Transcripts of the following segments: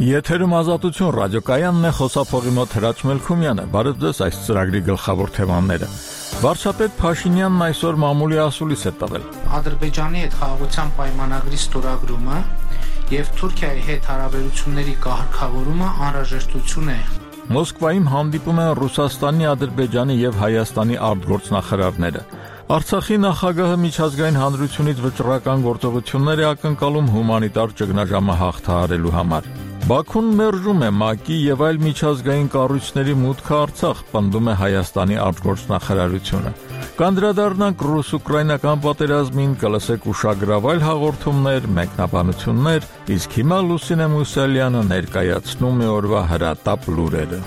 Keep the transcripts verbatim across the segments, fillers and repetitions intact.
Եթերում Ազատություն ռադիոկայանն է, խոսափողի մոտ Հրաչ Մելքումյանը։ Բարև ձեզ, այս ծրագրի գլխավոր թեմաները։ Վարչապետ Փաշինյանն այսօր մամուլի ասուլիս է տվել։ Ադրբեջանի հետ խաղաղության պայմանագրի ստորագրումը եւ Թուրքիայի հետ հարաբերությունների կարգավորումը անհրաժեշտություն է։ Մոսկվայում հանդիպում են Ռուսաստանի, Ադրբեջանի եւ Հայաստանի արտգործնախարարները։ Արցախի նախագահը միջազգային հանրությունից վճռական գործողություններ է ակնկալում հումանիտար ճգնաժամը հաղթահարելու համար։ Բաքուն մերժում է ՄԱԿ-ի եւ այլ միջազգային կառույցների մուտքը Արցախ, պնդում է Հայաստանի արտգործնախարարությունը։ Կանդրադառնանք ռուս-ուկրաինական պատերազմին, կլսեք ուշագրավայր հաղորդումներ, մեկնաբանություններ, իսկ հիմա Լուսինե Մուսալյանը ներկայացնում է օրվա հրատապ լուրերը։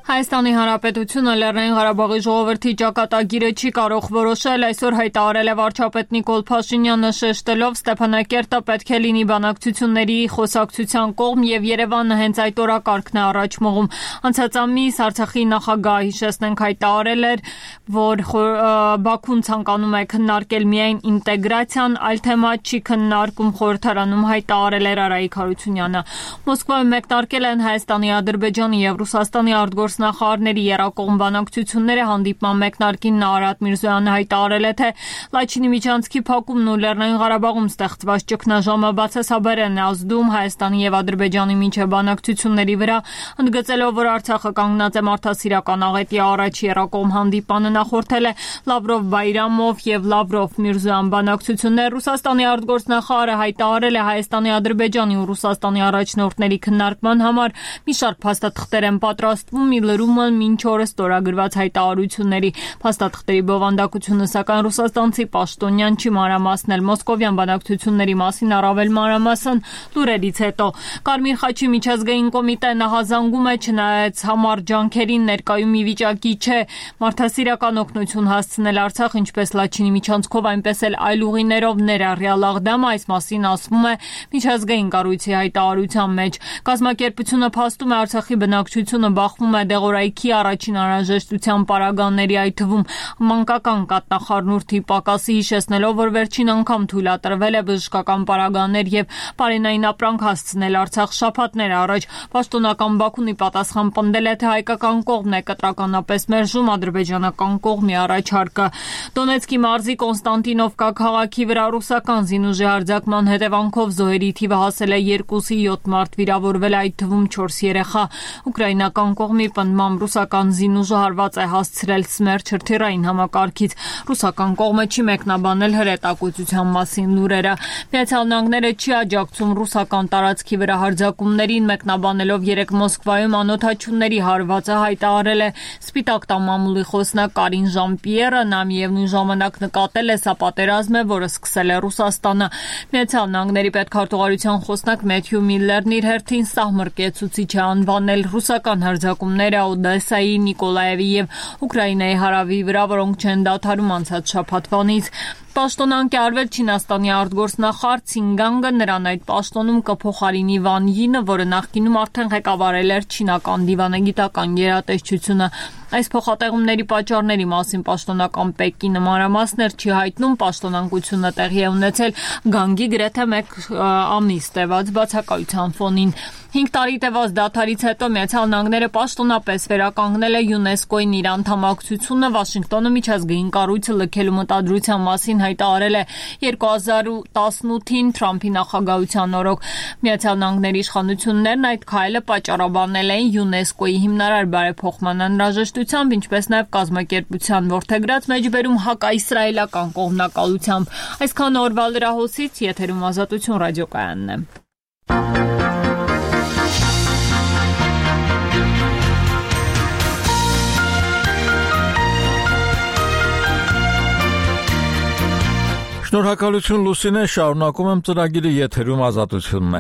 Հայաստանի Հանրապետությունը Լեռնային Ղարաբաղի ժողովրդի ճակատագիրը չի կարող որոշել, այսօր հայտարարել է վարչապետ Նիկոլ Փաշինյանը, շեշտելով Ստեփանակերտը պետք է լինի բանակցությունների խոսակցության կողմ եւ Երևանը հենց այդ օրակարգն է առաջ մղում։ Անցած ամիս Արցախի նախագահը, հիշեցնենք, հայտարարել էր, որ Բաքուն ցանկանում է քննարկել միայն ինտեգրացիան, այլ թեմա չի քննարկում, խորհրդարանում հայտարարել էր Արայիկ Հարությունյանը։ Մոսկվայում մեկնարկել են Հայաստանի, Ադրբեջանի եւ Ռուսաստանի արտգործ նախարարների երակողմ բանակցությունները, հանդիպման մեկնարկին Արարատ Միրզոյանը հայտարարել է, թե Լաչինի միջանցքի փակումն ու Լեռնային Ղարաբաղում ստեղծված ճգնաժամը բացասաբար են ազդում Հայաստանի եւ Ադրբեջանի միջև բանակցությունների վրա, ընդգծելով, որ Արցախը կանգնած է մարդասիրական աղետի առաջ։ Երակողմ հանդիպանը նախորդել է Լավրով-Բայրամով եւ Լավրով-Միրզոյան բանակցություններ։ Ռուսաստանի արտգործնախարարը հայտարարել է Հայաստանի, Ադրբեջանի ու Ռուսաստանի առաջնորդների քննարկման համար մի շարք փաստաթղթեր են պատրաստվում, լրումը մինչ օրս ստորագրված հայտարարությունների։ Փաստաթղթերի բովանդակությունը, սակայն ռուսաստանցի պաշտոնյան չի մանրամասնել մոսկովյան բանակցությունների մասին առավել մանրամասն լուրերից հետո։ Կարմիր խաչի միջազգային կոմիտեն ահազանգում է, չնայած համառ ջանքերին ներկայում ի վիճակի չէ մարդասիրական օգնություն հասցնել Արցախ, ինչպես Լաչինի միջանցքով, այնպես էլ այլ ուղիներով, ներառյալ Աղդամը, այս մասին ասվում է միջազգային կառույցի հայտարարության մեջ։ Կազմակերպությունը փաստում է Արցախի բնակչությունը բախվում է դեղորայքի առաջին անհրաժեշտության պարագաների, այդ թվում մանկական կաթնախառնուրդի պակասի, հիշեցնելով, որ վերջին անգամ թույլատրվել է բժշկական պարագաներ եւ բարենային ապրանք հասցնել Արցախ շաբաթներ առաջ։ Պաշտոնական Բաքունի պատասխան պնդել է, թե հայկական կողմն է կտրականապես մերժում ադրբեջանական կողմի առաջարկը։ Դոնեցկի մարզի Կոնստանտինովկա քաղաքի վրա ռուսական զինուժի հարձակման հետևանքով զոհերի թիվը հասել է երկուսի, յոթ մարդ վիրավորվել, այդ թվում չորս երեխա։ Ուկրաինական կողմի պնդմամբ ռուսական զինուժը հարված է հասցրել Սմերչ հրթիռային համակարգից։ Ռուսական կողմը չի մեկնաբանել հրետակոծության մասին լուրերը։ Միացյալ Նահանգները չի աջակցում ռուսական տարածքի վրա հարձակումներին, մեկնաբանելով երեկ Մոսկվայում անօդաչուների հարվածը հայտարարել է Սպիտակ տան մամուլի խոսնակ Կարին Ժան-Պիերը։ Նա միևնույն ժամանակ նկատել է, սա պատերազմ է, որը սկսել է Ռուսաստանը։ Միացյալ Նահանգների պետքարտուղարության խոսնակ Մեթյու Միլլերն իր հերթին սահմռկեցուցիչ է անվանել ռուսական հարձակումները Օդեսայի, Նիկոլաևի եւ Ուկրաինայի հարավի վրա, որոնք չեն դադարում անցած շաբաթվանից։ Պաշտոնանկ է արվել Չինաստանի արտգործնախարար Ցինգանգը, նրան այդ պաշտոնում կփոխարինի Վան Յինը, որը նախկինում արդեն ղեկավարել էր չինական դիվանագիտական գերատեսչությունը։ Այս փոխատեղումների պատճառների մասին պաշտոնական Պեկինը մանրամասներ չի հայտնում։ Պաշտոնանկությունը տեղի է ունեցել գանգի գրեթե մեկ ամիս տևած բացակայության ֆոնին։ Հինգ տարի տևած դադարից հետո Միացյալ Նահանգները պաշտոնապես վերականգնել է ՅՈՒՆԵՍԿՕ-ին իր անդամակցությունը։ Վաշինգտոնը միջազգային կառույցը լքելու մտադրության մասին հայտարարել է երկու հազար տասնութին Թրամփի նախագահության օրոք։ Միացյալ Նահանգների իշխանություններն այդ քայլը պատճառաբանել էին ՅՈՒՆԵՍԿՕ-ի հիմնարար բարեփոխման անհրաժեշտությամբ, ինչպես նաև կազմակերպության որդեգրած մեջբերում հակաիսրայելական կողմնակալությամբ։ Այսքան օրվա լրահոսից, եթերում Ազատություն ռադիոկայանն է։ Շնորհակալություն Լուսինե, շարունակում եմ ծրագիրը, եթերում Ազատությունն է։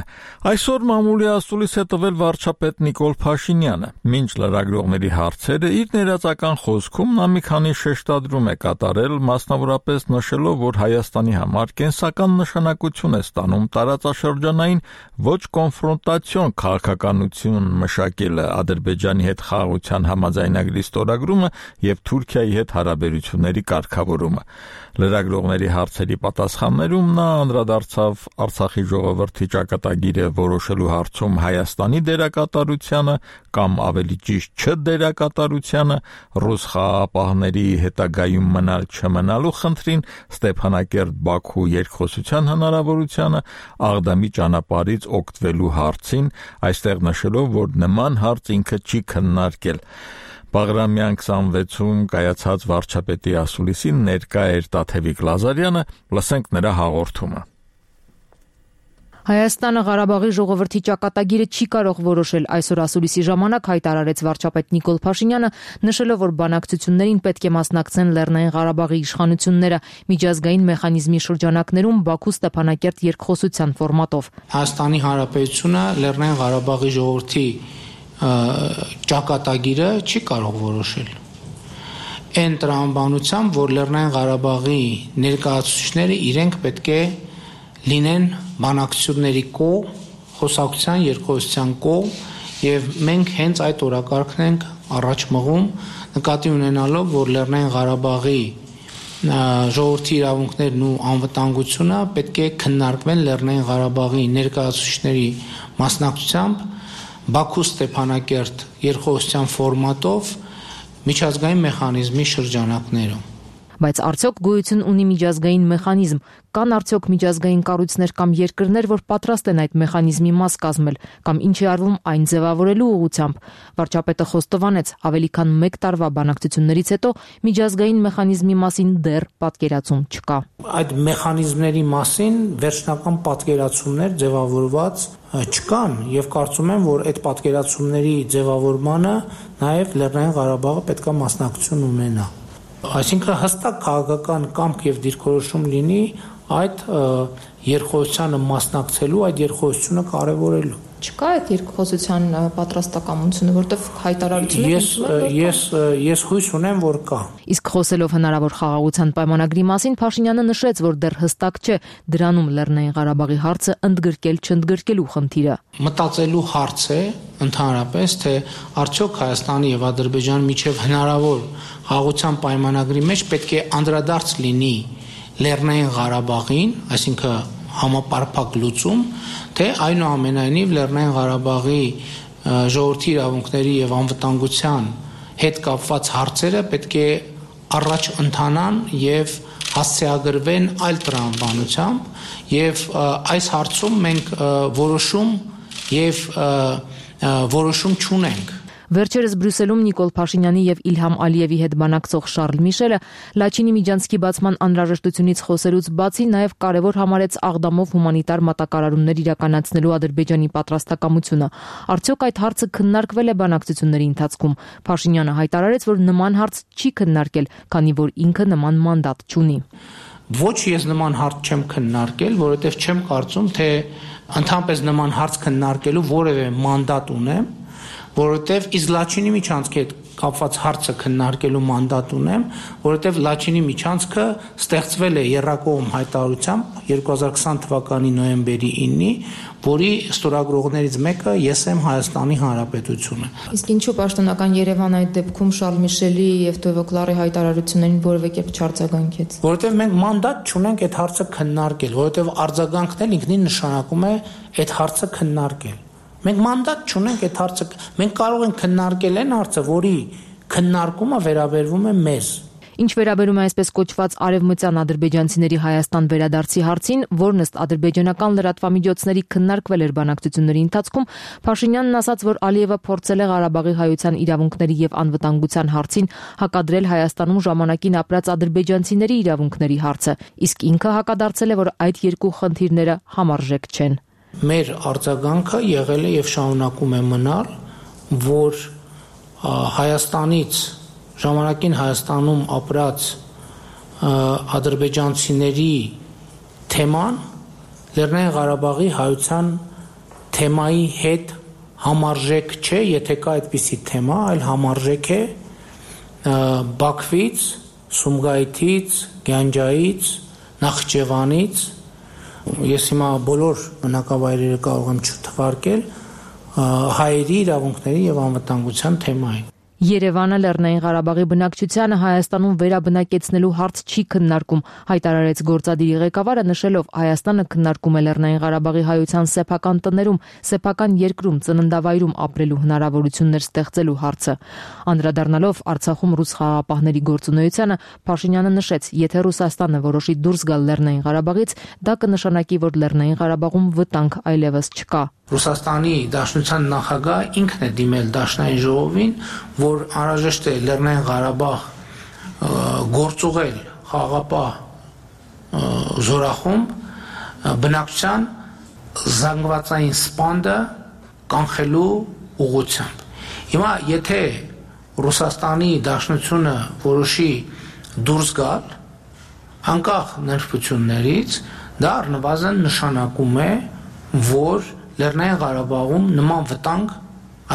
Այսօր մամուլի ասուլիս է տվել վարչապետ Նիկոլ Փաշինյանը։ Մինչ լրագրողների հարցերը իր ներածական խոսքում նա մի քանի շեշտադրում է կատարել, մասնավորապես նշելով, որ Հայաստանի համար կենսական նշանակություն է ստանում տարածաշրջանային ոչ կոնֆրոնտացիոն քաղաքականություն մշակելը, Ադրբեջանի հետ խաղաղության համաձայնագրի ստորագրումը եւ Թուրքիայի հետ հարաբերությունների կարգավորումը։ Լրագրողների հարցերի պատասխաններում նա անդրադարձավ Արցախի ժողովրդի ճակատագիրը որոշելու հարցում Հայաստանի դերակատարությանը կամ ավելի ճիշտ չդերակատարությանը, ռուս խաղաղապահների հետագայում մնալ չմնալու խնդրին, Ստեփանակերտ-Բաքու երկխոսության հնարավորությանը, Աղդամի ճանապարհից օգտվելու հարցին, այստեղ նշելով, որ նման հարց ինքը չի քննարկել։ Բաղրամյան քսանվեցում կայացած վարչապետի ասուլիսին ներկա էր Տաթևիկ Լազարյանը, լսենք նրա հաղորդումը։ Հայաստանը Ղարաբաղի ժողովրդի ճակատագիրը չի կարող որոշել, այսօր ասուլիսի ժամանակ հայտարարեց վարչապետ Նիկոլ Փաշինյանը, նշելով, որ բանակցություններին պետք է մասնակցեն Լեռնային Ղարաբաղի իշխանությունները միջազգային մեխանիզմի շրջանակներում Բաքու Ստեփանակերտ երկխոսության ֆորմատով։ Հայաստանի Հանրապետությունը Լեռնային Ղարաբաղի ժողովրդի ճակատագիրը չի կարող որոշել։ Այն տրամաբանությամբ, որ Լեռնային Ղարաբաղի ներկայացուցիչները իրենք պետք է լինեն բանակցությունների կողմ, խոսակցության, երկխոսության կողմ, եւ մենք հենց այդ օրակարգն ենք առաջ մղում, նկատի ունենալով, որ Լեռնային Ղարաբաղի ժողովրդի իրավունքներն ու անվտանգությունը պետք է քննարկվեն Լեռնային Ղարաբաղի ներկայացուցիչների մասնակցությամբ Բաքու Ստեփանակերտ երկխոսության ֆորմատով միջազգային մեխանիզմի շրջանակներում։ Բայց արդյոք գոյություն ունի միջազգային մեխանիզմ, կան արդյոք միջազգային կառույցներ կամ երկրներ, որ պատրաստ են այդ մեխանիզմի մաս կազմել, կամ ինչ է արվում այն ձևավորելու ուղղությամբ։ Վարչապետը խոստովանեց, ավելի քան մեկ տարվա բանակցություններից հետո միջազգային մեխանիզմի մասին դեռ պատկերացում չկա։ Այդ մեխանիզմների մասին վերջնական պատկերացումներ ձևավորված չկան եւ կարծում եմ, որ այդ պատկերացումների ձևավորմանը նաեւ Լեռնային Ղարաբաղը պետք է մասնակցություն ունենա։ Այսինքն հստակ քաղաքական կամք եւ դիրքորոշում լինի այդ երկխոսությանը մասնակցելու, այդ երկխոսությունը կարևորելու։ Չկա այդ երկխոսության պատրաստակամությունը, որտեղ հայտարարությունը Ես ես ես հույս ունեմ, որ կա։ Իսկ խոսելով հնարավոր խաղաղության պայմանագրի մասին, Փաշինյանը նշեց, որ դեռ հստակ չէ դրանում Լեռնային Ղարաբաղի հարցը ընդգրկել չընդգրկելու խնդիրը։ Մտածելու հարց է ընդհանրապես, թե արդյոք Հայաստանի եւ Ադրբեջանի միջև հնարավոր խաղաղության պայմանագրի մեջ պետք է անդրադարձ լինի Լեռնային Ղարաբաղին, այսինքն համապարփակ լուծում, թե այնուամենայնիվ Լեռնային Ղարաբաղի ժողովրդի իրավունքների եւ անվտանգության հետ կապված հարցերը պետք է առաջ ընթանան եւ հասցեագրվեն այլ տրամաբանությամբ եւ այս հարցում մենք որոշում եւ որոշում չունենք։ Վերջերս Բրյուսելում Նիկոլ Փաշինյանի եւ Իլհամ Ալիևի հետ բանակցող Շարլ Միշելը Լաչինի միջանցքի բացման անհրաժեշտությունից խոսելուց բացի նաեւ կարեւոր համարեց Աղդամով հումանիտար մատակարարումներ իրականացնելու Ադրբեջանի պատրաստակամությունը։ Արդյոք այդ հարցը քննարկվել է բանակցությունների ընթացքում։ Փաշինյանը հայտարարեց, որ նման հարց չի քննարկել, քանի որ ինքը նման մանդատ չունի։ Ոչ ես նման հարց չեմ քննարկել, որովհետեւ չեմ կարծում, թե ընդհանրապես նման հարց քննարկելու որևէ մանդատ ունեմ, որովհետև իսկ Լաչինի միջանցքի հետ կապված հարցը քննարկելու մանդատ ունեմ, որովհետև Լաչինի միջանցքը ստեղծվել է եռակողմ հայտարարությամբ երկու հազար քսան թվականի նոյեմբերի ինը, որի ստորագրողներից մեկը ես եմ Հայաստանի Հանրապետությունը։ Իսկ ինչու պաշտոնական Երևանը այդ դեպքում Շարլ Միշելի եւ Տևոկլարի հայտարարություններին որևէ կերպ չարձագանքեց։ Որովհետև մենք մանդատ չունենք այդ հարցը քննարկել, որովհետև արձագանքն էլ ինքնին նշանակում է այդ հարցը քննարկել։ Մենք մանդատ չունենք այդ հարցը, մենք կարող ենք քննարկել այն հարցը, որի քննարկումը վերաբերվում է մեզ։ Ինչ վերաբերում է այսպես կոչված արևմտյան ադրբեջանցիների Հայաստան վերադարձի հարցին, որն ըստ ադրբեջանական լրատվամիջոցների քննարկվել էր բանակցությունների ընթացքում, Փաշինյանն ասաց, որ Ալիևը փորձել է Ղարաբաղի հայության իրավունքների եւ անվտանգության հարցին հակադրել Հայաստանում ժամանակին ապրած ադրբեջանցիների իրավունքների հարցը, իսկ ինքը հակադարձել է, որ այդ երկու խնդիրները համարժեք չեն։ Մեր արձագանքը եղել է եւ շարունակում է մնալ, որ Հայաստանից ժամանակին Հայաստանում ապրած ադրբեջանցիների թեման Լեռնային Ղարաբաղի հայության թեմայի հետ համարժեք չէ, եթե կա այդպիսի թեմա, այլ համարժեք է Բաքվից, Սումգայիթից, Գյանջայից, Նախճեվանից, ես հիմա բոլոր բնակավայրերը կարող եմ չթվարկել, հայերի իրավունքների եւ անվտանգության թեմային։ Երևանը Լեռնային Ղարաբաղի բնակչությանը Հայաստանում վերաբնակեցնելու հարց չի քննարկում, հայտարարեց գործադիրի ղեկավարը, նշելով Հայաստանը քննարկում է Լեռնային Ղարաբաղի հայության սեփական տներում, սեփական երկրում, ծննդավայրում ապրելու հնարավորություններ ստեղծելու հարցը։ Անդրադառնալով Արցախում ռուս խաղաղապահների գործունեությանը, Փաշինյանը նշեց, եթե Ռուսաստանը որոշի դուրս գալ Լեռնային Ղարաբաղից, դա կնշանակի, որ Լեռնային Ղարաբաղում վտանգ այլևս չկա։ Ռուսաստանի Դաշնության նախագահ ինքն է դիմել Դաշնային ժողովին, որ անհրաժեշտ է Լեռնային Ղարաբաղ գործուղել խաղաղապահ զորախումբ բնակչության զանգվածային սպանդը կանխելու ուղղությամբ։ Հիմա եթե Ռուսաստանի Դաշնությունը որոշի դուրս գալ անկախ նրբություններից, դա առնվազն նշանակում է, որ Լեռնային Ղարաբաղում նման վտանգ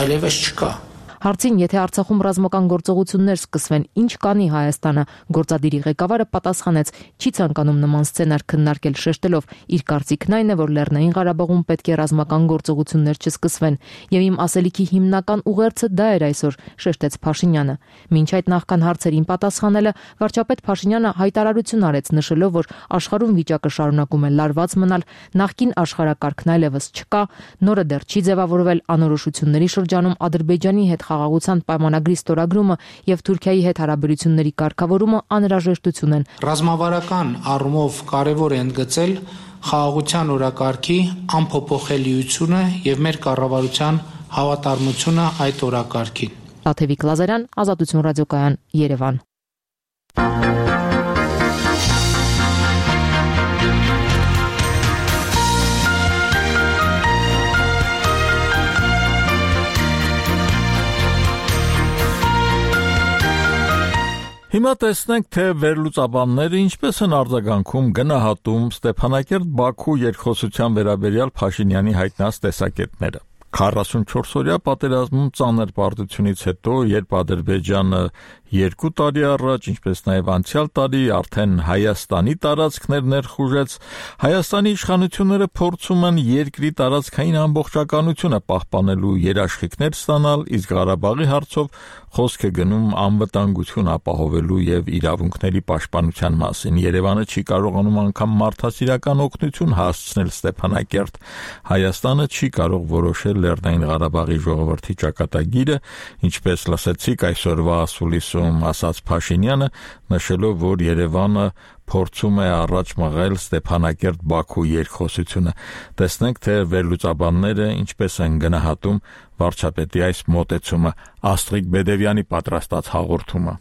այլևս չկա։ Հարցին, եթե Արցախում ռազմական գործողություններ սկսվեն, ինչ կանի Հայաստանը, գործադիրի ղեկավարը պատասխանեց, չի ցանկանում նման սցենար քննարկել, շեշտելով, իր կարծիքն այն է, որ Լեռնային Ղարաբաղում պետք է ռազմական գործողություններ չսկսվեն, եւ իմ ասելիքի հիմնական ուղերձը դա էր այսօր, շեշտեց Փաշինյանը։ Մինչ այդ նախքան հարցերին պատասխանելը, վարչապետ Փաշինյանը հայտարարություն արեց, նշելով, որ աշխարհում վիճակը շարունակում է լարված մնալ, նախկին աշխարհակարգն այլևս չկա, նորը դեռ չի ձևավորվել, անորոշությունների շրջանում Ադրբեջանի հետ խաղաղության պայմանագրի ստորագրումը եւ Թուրքիայի հետ հարաբերությունների կարգավորումը անհրաժեշտություն են։ Ռազմավարական առումով կարևոր է ընդգծել խաղաղության օրակարգի անփոփոխելիությունը եւ մեր կառավարության հավատարմությունը այդ օրակարգին։ Տաթևիկ Լազարյան, Ազատություն ռադիոկայան, Երևան։ Հիմա տեսնենք, թե վերլուծաբանները ինչպես են արձագանքում գնահատում Ստեփանակերտ-Բաքու երկխոսության վերաբերյալ Փաշինյանի հայտնած տեսակետները։ քառասունչորս-օրյա պատերազմում ծանր պարտությունից հետո, երբ Ադրբեջանը երկու տարի առաջ, ինչպես նաև անցյալ տարի արդեն Հայաստանի տարածքներ ներխուժեց, Հայաստանի իշխանությունները փորձում են երկրի տարածքային ամբողջականությունը պահպանելու երաշխիքներ ստանալ, իսկ Ղարաբաղի հարցով խոսք է գնում անվտանգություն ապահովելու եւ իրավունքների պաշտպանության մասին։ Երևանը չի կարողանում անգամ մարդասիրական օգնություն հասցնել Ստեփանակերտ։ Հայաստանը չի կարող որոշել Լեռնային Ղարաբաղի ժողովրդի ճակատագիրը, ինչպես լսեցիք այսօրվա ասուլիսում ասաց Փաշինյանը, նշելով, որ Երևանը փորձում է առաջ մղել Ստեփանակերտ-Բաքու երկխոսությունը։ Տեսնենք, թե վերլուծաբանները ինչպես են գնահատում վարչապետի այս մոտեցումը։ Աստղիկ Բեդևյանի պատրաստած հաղորդումը։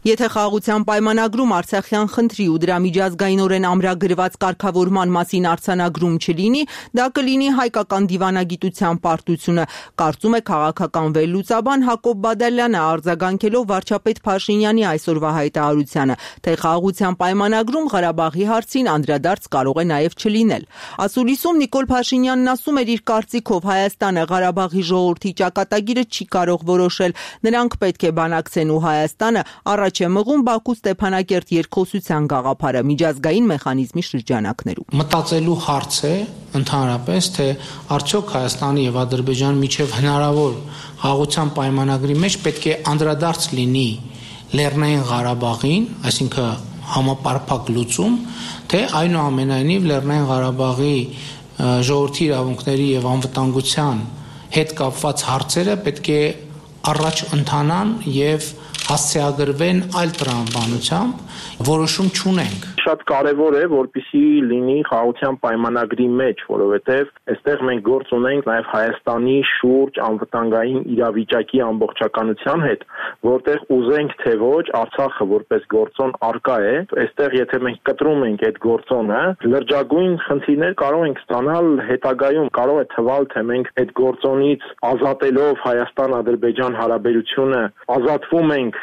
Եթե խաղաղության պայմանագրում Արցախյան խնդրի ու դրա միջազգայինորեն ամրագրված կարգավորման մասին արձանագրում չլինի, դա կլինի հայկական դիվանագիտության պարտությունը, կարծում է քաղաքական վերլուծաբան Հակոբ Բադալյանը, արձագանքելով վարչապետ Փաշինյանի այսօրվա հայտարարությանը, թե խաղաղության պայմանագրում Ղարաբաղի հարցին անդրադարձ կարող է նաև չլինել։ Ասուլիսում Նիկոլ Փաշինյանն ասում էր իր կարծիքով Հայաստանը Ղարաբաղի ժողովրդի ճակատագիրը չի կարող որոշել, նրանք պետք է բանակցեն ու Հայաստանը առաջ է մղում Բաքու Ստեփանակերտ երկխոսության գաղափարը միջազգային մեխանիզմի շրջանակներում։ Մտածելու հարց է ընդհանրապես, թե արդյոք Հայաստանի եւ Ադրբեջանի միջև հնարավոր խաղաղության պայմանագրի մեջ պետք է անդրադարձ լինի Լեռնային Ղարաբաղին, այսինքն համապարփակ լուծում, թե այնուամենայնիվ Լեռնային Ղարաբաղի ժողովրդի իրավունքների եւ անվտանգության հետ կապված հարցերը պետք է առաջ ընթանան եւ հասցեագրվեն այլ տրամաբանությամբ, որոշում չունենք։ Շատ կարևոր է, որպեսզի լինի խաղաղության պայմանագրի մեջ, որովհետև այստեղ մենք գործ ունենք նաև Հայաստանի շուրջ անվտանգային իրավիճակի ամբողջականության հետ, որտեղ ուզենք թե ոչ, Արցախը որպես գործոն արկա է, այստեղ եթե մենք կտրում ենք այդ գործոնը, լրջագույն խնդիրներ կարող ենք ստանալ հետագայում, կարող է թվալ, թե մենք այդ գործոնից ազատելով Հայաստան-Ադրբեջան հարաբերությունը ազատվում ենք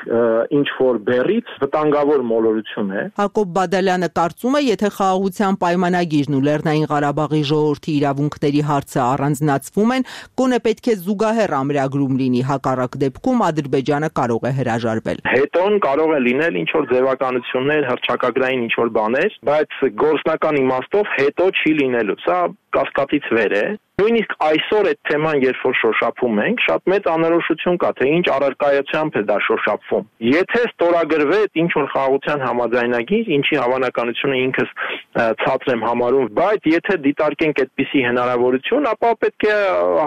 ինչ որ բեռից, վտանգավոր մոլորություն է։ Հակոբ Բադալյանը Ադրբեջանը կարծում է, եթե խաղաղության պայմանագիրն ու Լեռնային Ղարաբաղի ժողովրդի իրավունքների հարցը առանձնացվում են, գոնե պետք է զուգահեռ ամրագրում լինի, հակառակ դեպքում Ադրբեջանը կարող է հրաժարվել։ Հետոն կարող է լինել ինչ որ ձևականություններ, հռչակագրային ինչ որ բաներ, բայց գործնական իմաստով հետո չի լինելու։ Սա կասկածից վեր է։ Նույնիսկ այսօր այդ թեման երբ որ շոշափում ենք, շատ մեծ անորոշություն կա, թե ինչ առարկայությամբ է դա շոշափվում։ Եթե ստորագրվեց ինչ որ խաղաղության համաձայնագիր, ինչի հավանականությունը ինքս ցածր եմ համարում, բայց եթե դիտարկենք այդպիսի հնարավորություն, ապա պետք է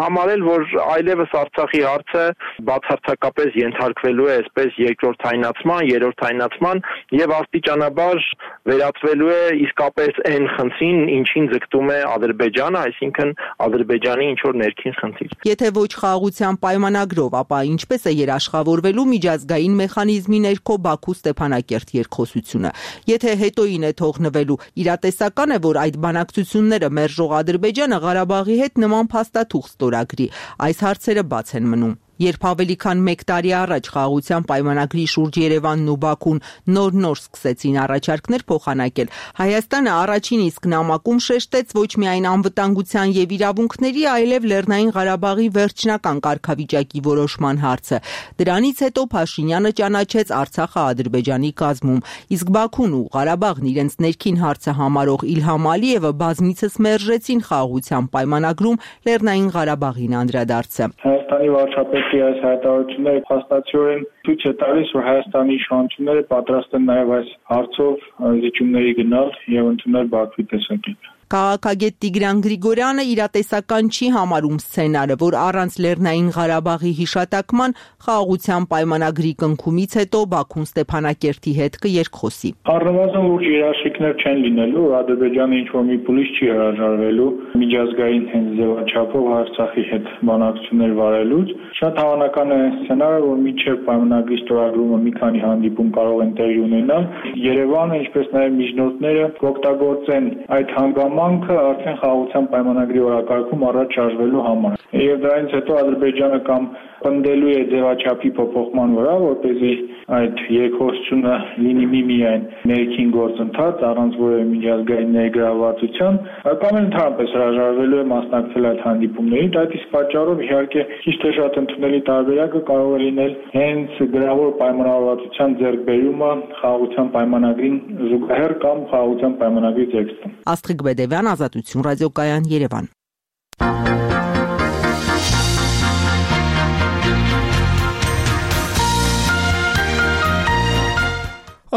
համարել, որ այլևս Արցախի հարցը բացարձակապես ենթարկվելու է այսպես երկրորդայնացման, երրորդայնացման եւ աստիճանաբար վերածվելու է իսկապես այն խնդրին, ինչին ձգտում է Ադրբեջանը, այսինքն Ադրբեջանի ինչ որ ներքին խնդիր։ Եթե ոչ խաղաղության պայմանագրով, ապա ինչպես է երաշխավորվելու միջազգային մեխանիզմի ներքո Բաքու-Ստեփանակերտ երկխոսությունը։ Եթե հետոին է թողնվելու, իրատեսական է, որ այդ բանակցությունները մերժող Ադրբեջանը Ղարաբաղի հետ նման փաստաթուղթ ստորագրի։ Այս հարցերը բաց են մնում։ Երբ ավելի քան մեկ տարի առաջ խաղաղության պայմանագրի շուրջ Երևանն ու Բաքուն նոր-նոր սկսեցին առաջարկներ փոխանակել, Հայաստանը առաջին իսկ նամակում շեշտեց ոչ միայն անվտանգության եւ իրավունքների, այլև Լեռնային Ղարաբաղի վերջնական կարգավիճակի որոշման հարցը։ Դրանից հետո Փաշինյանը ճանաչեց Արցախը Ադրբեջանի կազմում, իսկ Բաքուն ու Ղարաբաղն իրենց ներքին հարցը համարող Իլհամ Ալիևը բազմիցս մերժեցին խաղաղության պայմանագրում Լեռնային Ղարաբաղին անդրադարձը։ Հայաստանի վարչապետ այս հայտարարությունները փաստացիորեն ցույց է տալիս, որ Հայաստանի իշխանությունները պատրաստ են նաև այս հարցով զիջումների գնալ եւ ընդունել Բաքվի տեսակետը։ Քաղաքագետ Տիգրան Գրիգորյանը իրատեսական չի համարում սցենարը, որ առանց Լեռնային Ղարաբաղի հիշատակման խաղաղության պայմանագրի կնքումից հետո Բաքուն Ստեփանակերտի հետ կերկխոսի։ Առնվազն լուրջ երաշխիքներ չեն լինելու, Ադրբեջանը ինչ որ մի փուլից չի հրաժարվելու միջազգային հենց ձևաչափով Արցախի հետ բանակցություններ վարելուց։ Շատ հավանական է սցենարը, որ մինչև պայմանագրի ստորագրումը մի քանի հանդիպում կարող են տեղի ունենալ։ Երևանը, ինչպես նաև միջնորդները կօգտագործեն այդ հանգամանքը արդեն խաղաղության պայմանագրի օրակարգում առաջ շարժվելու համար։ Եվ դրանից հետո Ադրբեջանը կամ պնդելու է ձևաչափի փոփոխման վրա, որպեսզի այդ երկխոսությունը լինի միմիայն ներքին գործընթաց առանց որևէ միջազգային ներգրավվածության, կամ ընդհանրապես հրաժարվելու է մասնակցել այդ հանդիպումներին։ Այդ իսկ պատճառով իհարկե ճիշտ է շատ ընդունելի տարբերակը կարող է լինել հենց գրավոր պայմանավորվածության ձեռքբերումը խաղաղության պայմանագրին զուգահեռ կամ խաղաղության պայմանագրի տեքստում։ Աստղիկ Բեդևյան, Ազատություն ռադիոկայան, Երևան։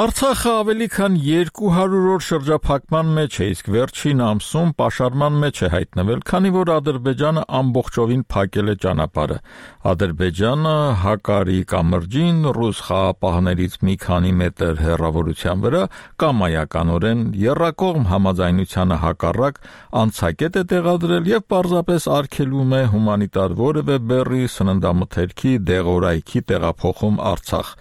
Արցախը ավելի քան երկու հարյուր օր շրջափակման մեջ է, իսկ վերջին ամսում պաշարման մեջ է հայտնվել, քանի որ Ադրբեջանը ամբողջովին փակել է ճանապարհը։ Ադրբեջանը Հակարի կամրջին ռուս խաղապահներից մի քանի մետր հեռավորության վրա կամայականորեն եռակողմ համաձայնությանը հակառակ անցակետ է տեղադրել եւ պարզապես արգելում է հումանիտար որևէ բեռի սննդամթերքի դեղորայքի տեղափոխում Արցախ։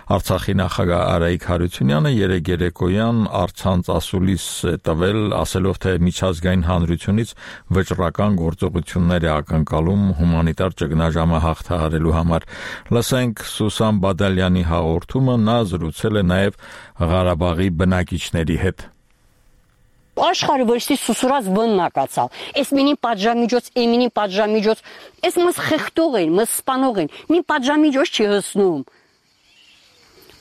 Արցախի նախագահ Արայիկ Հարությունյանը երեկ երեկոյան առցանց ասուլիս է տվել, ասելով, թե միջազգային հանրությունից վճռական գործողություններ է ակնկալում հումանիտար ճգնաժամը հաղթահարելու համար։ Լսենք Սուսան Բադալյանի հաղորդումը, նա զրուցել է նաև Ղարաբաղի բնակիչների հետ։ Աշխարհը որսի սուսուրած բննակացալ։ Էս մինի պատժամիջոց, էմինի պատժամիջոց, էս մս խեղտող են, մս սպանող են, մի պատժամիջոց չի հսնում։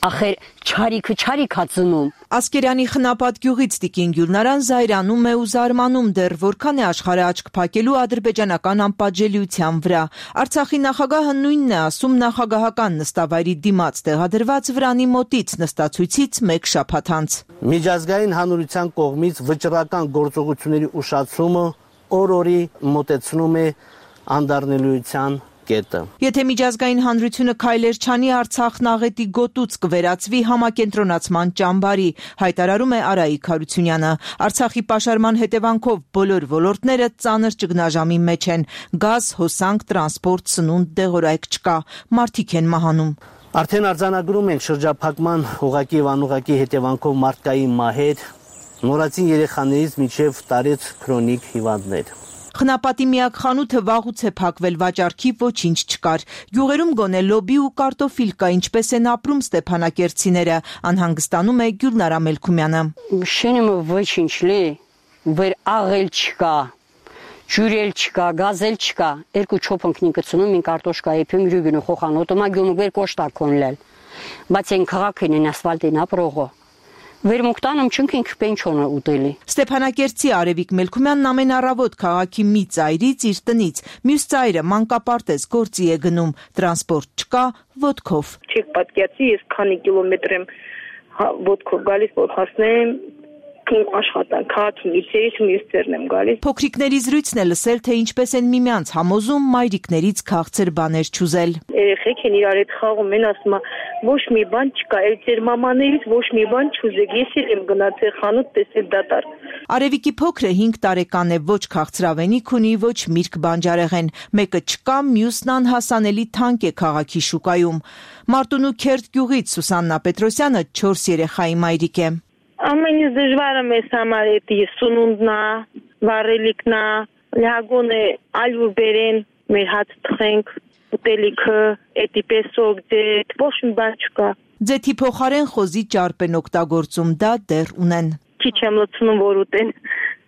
Ախեր չարիքը չարիք հացնում։ Ասկերյանի խնապատ գյուղից Տիկին Գյուլնարան զայրանում է ու զարմանում դեռ որքան է աշխարհը աչք փակելու ադրբեջանական անպատժելիության վրա։ Արցախի նախագահը նույնն է ասում նախագահական նստավայրի դիմաց տեղադրված վրանի մոտից նստացույցից մեկ շաբաթ անց։ Միջազգային հանրության կողմից վճռական գործողությունների ուշացումը օր-օրի մոտեցնում է անդառնելիության կետը։ Եթե միջազգային հանրությունը քայլեր չանի, Արցախն աղետի գոտուց կվերածվի համակենտրոնացման ճամբարի, հայտարարում է Արայիկ Հարությունյանը։ Արցախի պաշարման հետևանքով բոլոր ոլորտները ծանր ճգնաժամի մեջ են։ Գազ, հոսանք, տրանսպորտ, սնունդ, դեղորայք չկա, մարդիկ են մահանում։ Արդեն արձանագրում ենք շրջափակման ուղղակի եւ անուղղակի հետևանքով մարդկային մահեր, նորածին երեխաներից մինչև տարեց քրոնիկ հիվանդներ։ Խնապատի միակ խանութը վաղուց է փակվել, վաճառքի ոչինչ չկար։ Գյուղերում գոնե լոբի ու կարտոֆիլ կա, ինչպես են ապրում ստեփանակերտցիները, անհանգստանում է Գյուլնարա Մելքումյանը։ Շենը ոչինչ լի, վեր աղել չկա, ջուրել չկա, գազել չկա։ Երկու չոփնքնի կցնում ին կարտոշկա եփում յուրգնու խոխանոտ մա գյոմ վեր կոշտա կոնլել։ Բայց են քաղաքին են ասֆալտին ապրողը։ Վերմուկտանում չնքինք պենչոնը ուտելի։ Ստեփանակերտցի Արևիկ Մելքումյանն ամեն առավոտ քաղաքի մի ծայրից իր տնից, մյուս ծայրը մանկապարտեզ գործի է գնում, տրանսպորտ չկա, ոտքով։ Չեք պատկերացի, ես քանի կիլոմետր եմ ոտքով գալիս, որ հասնեմ իմ աշխատանք, քաղաքի միջերից մյուսներն եմ գալիս։ Փոքրիկների զրույցն է լսել, թե ինչպես են միմյանց համոզում մայրիկներից քաղցր բաներ չուզել։ Երեխեք են իրար հետ խաղում են, ասում ոչ մի բան չկա, այլ ձեր մամաներից ոչ մի բան չուզեք, ես էլ եմ գնացել խանութ տեսել դատարկ։ Արևիկի փոքրը հինգ տարեկան է, ոչ քաղցրավենիք ունի, ոչ միրգ բանջարեղեն, մեկը չկա, մյուսն անհասանելի թանկ է քաղաքի շուկայում։ Մարտունու Քերտ գյուղից Սուսաննա Պետրոսյանը չորս երեխայի մայրիկ է։ Ամենից դժվարը մեզ համար է սնունդն է, վառելիքն է, լագոն է, ալյուր բերեն, մեր հաց թխենք, ուտելիքը, էդի պեսոք, ձետ, ոչ մի բան չկա։ Ձեթի փոխարեն խոզի ճարպ են օգտագործում, դա դեռ ունեն։ Քիչ եմ լցնում, որ ուտեն։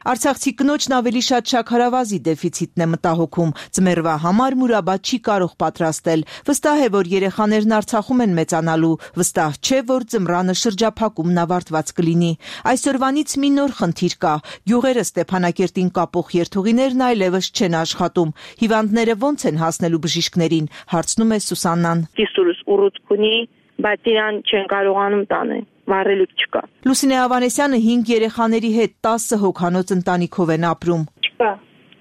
Արցախցի կնոջն ավելի շատ շաքարավազի դեֆիցիտն է մտահոգում, ձմեռվա համար մուրաբա չի կարող պատրաստել, վստահ է, որ երեխաներն Արցախում են մեծանալու, վստահ չէ, որ ձմռանը շրջափակումն ավարտված կլինի։ Այսօրվանից մի նոր խնդիր կա, գյուղերը Ստեփանակերտին կապող երթուղիներն այլևս չեն աշխատում, հիվանդները ոնց են հասնելու բժիշկներին, հարցնում է Սուսաննան։ Կիսուրս ուռուցք ունի, բայց իրան չեն կարողանում տանել, վառելիք չկա։ Լուսինե Ավանեսյանը հինգ երեխաների հետ տասը հոգանոց ընտանիքով են ապրում։ Չկա,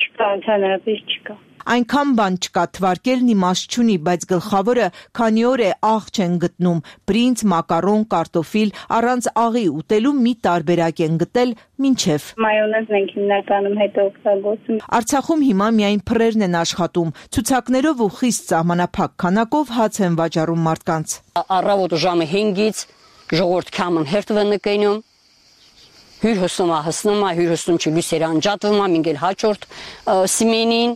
չկա, ընդհանրապես չկա։ Այնքան բան չկա, թվարկելն իմաստ չունի, բայց գլխավորը քանի օր է աղ չեն գտնում, բրինձ, մակարոն, կարտոֆիլ, առանց աղի ուտելու մի տարբերակ են գտել մինչև։ Մայոնեզն ենք հիմնականում հետո օգտագործում։ Արցախում հիմա միայն փռերն են աշխատում, ցուցակներով ու խիստ սահմանափակ քանակով հաց են վաճառում մարդկանց։ Առավոտ ժամը հինգից ժողովուրդ կամն հերթվեն նկենում, հյուր հսնում է, հսնում է, հյուր հսնում չի լույսերը անջատվում է, մինգել հաճորդ սմենին,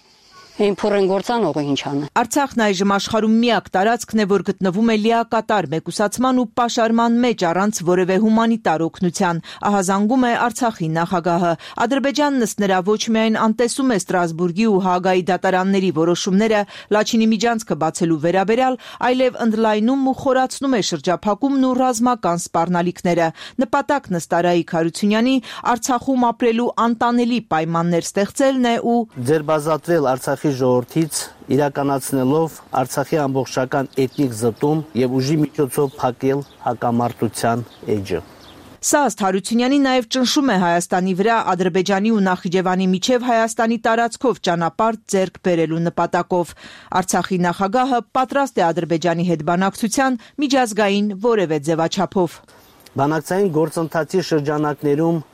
Այն փորեն գործանողը ինչ անը։ Արցախն այժմ աշխարհում միակ տարածքն է, որ գտնվում է լիակատար մեկուսացման ու պաշարման մեջ առանց որևէ հումանիտար օգնության, ահազանգում է Արցախի նախագահը։ Ադրբեջանն ըստ նրա ոչ միայն անտեսում է Ստրասբուրգի ու Հաագայի դատարանների որոշումները Լաչինի միջանցքը բացելու վերաբերյալ, այլև ընդլայնում ու խորացնում է շրջափակումն ու ռազմական սպառնալիքները։ Նպատակն ըստ Արայիկ Հարությունյանի Արցախում ապրելու անտանելի պայմաններ ստեղծելն է ու ձերբազատվել Արցախի ժողովրդից իրականացնելով Արցախի ամբողջական էթնիկ զտում եւ ուժի միջոցով փակել հակամարտության էջը։ Սա ըստ Հարությունյանի նաև ճնշում է Հայաստանի վրա Ադրբեջանի ու Նախիջևանի միջև Հայաստանի տարածքով ճանապարհ ձեռք բերելու նպատակով։ Արցախի նախագահը պատրաստ է Ադրբեջանի հետ բանակցության միջազգային որևէ ձևաչափով։ Բանակցային գործընթացի շրջանակներում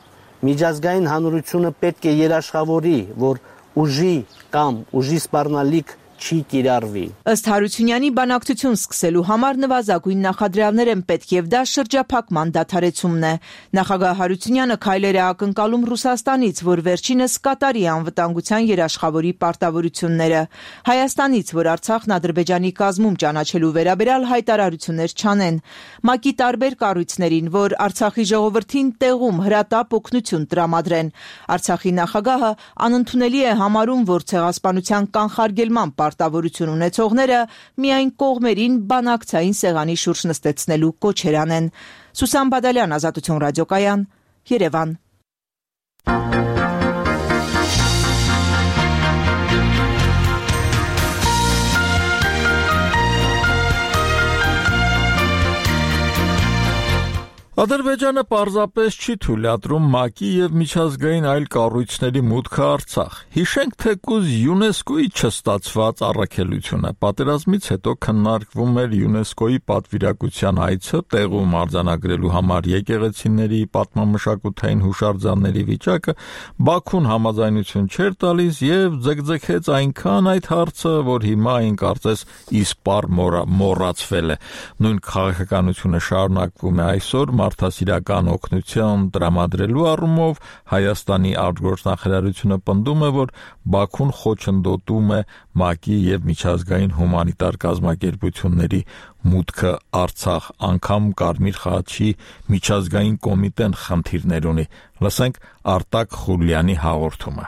միջազգային հանրությունը պետք է երաշխավորի, որ ուժի կամ ուժի սպառնալիք չի կիրառվի։ Ըստ Հարությունյանի բանակցություն սկսելու համար նվազագույն նախադրյալներ են պետք եւ դա շրջափակման դադարեցումն է։ Նախագահ Հարությունյանը քայլեր է ակնկալում Ռուսաստանից, որ վերջինս կատարի անվտանգության երաշխավորի պարտավորությունները։ Հայաստանից, որ Արցախն Ադրբեջանի կազմում ճանաչելու վերաբերյալ հայտարարություններ չանեն։ ՄԱԿ-ի տարբեր կառույցներին, որ Արցախի ժողովրդին տեղում հրատապ օգնություն տրամադրեն։ Արցախի նախագահը անընդունելի է համարում, որ ցեղասպանության կանխարգելման պարտավորություն ունեցողները միայն կողմերին բանակցային սեղանի շուրջ նստեցնելու կոչեր անեն։ Սուսան Բադալյան, Ազատություն ռադիոկայան, Երևան։ Ադրբեջանը պարզապես չի թույլատրում ՄԱԿ-ի եւ միջազգային այլ կառույցների մուտքը Արցախ։ Հիշենք թեկուզ ՅՈՒՆԵՍԿՕ-ի չստացված առաքելությունը։ Պատերազմից հետո քննարկվում էր ՅՈՒՆԵՍԿՕ-ի պատվիրակության այցը տեղում արձանագրելու համար եկեղեցիների, պատմամշակութային հուշարձանների վիճակը, Բաքուն համաձայնություն չէր տալիս եւ ձգձգեց այնքան այդ հարցը, որ հիմա այն կարծես իսպառ մոռացվել է։ Նույն քաղաքականությունը շարունակվում է այսօր մարդասիրական օգնություն տրամադրելու առումով Հայաստանի արտգործնախարարությունը պնդում է, որ Բաքուն խոչընդոտում է ՄԱԿ-ի եւ միջազգային հումանիտար կազմակերպությունների մուտքը Արցախ, անգամ Կարմիր խաչի միջազգային կոմիտեն խնդիրներ ունի։ Լսենք Արտակ Խուլյանի հաղորդումը։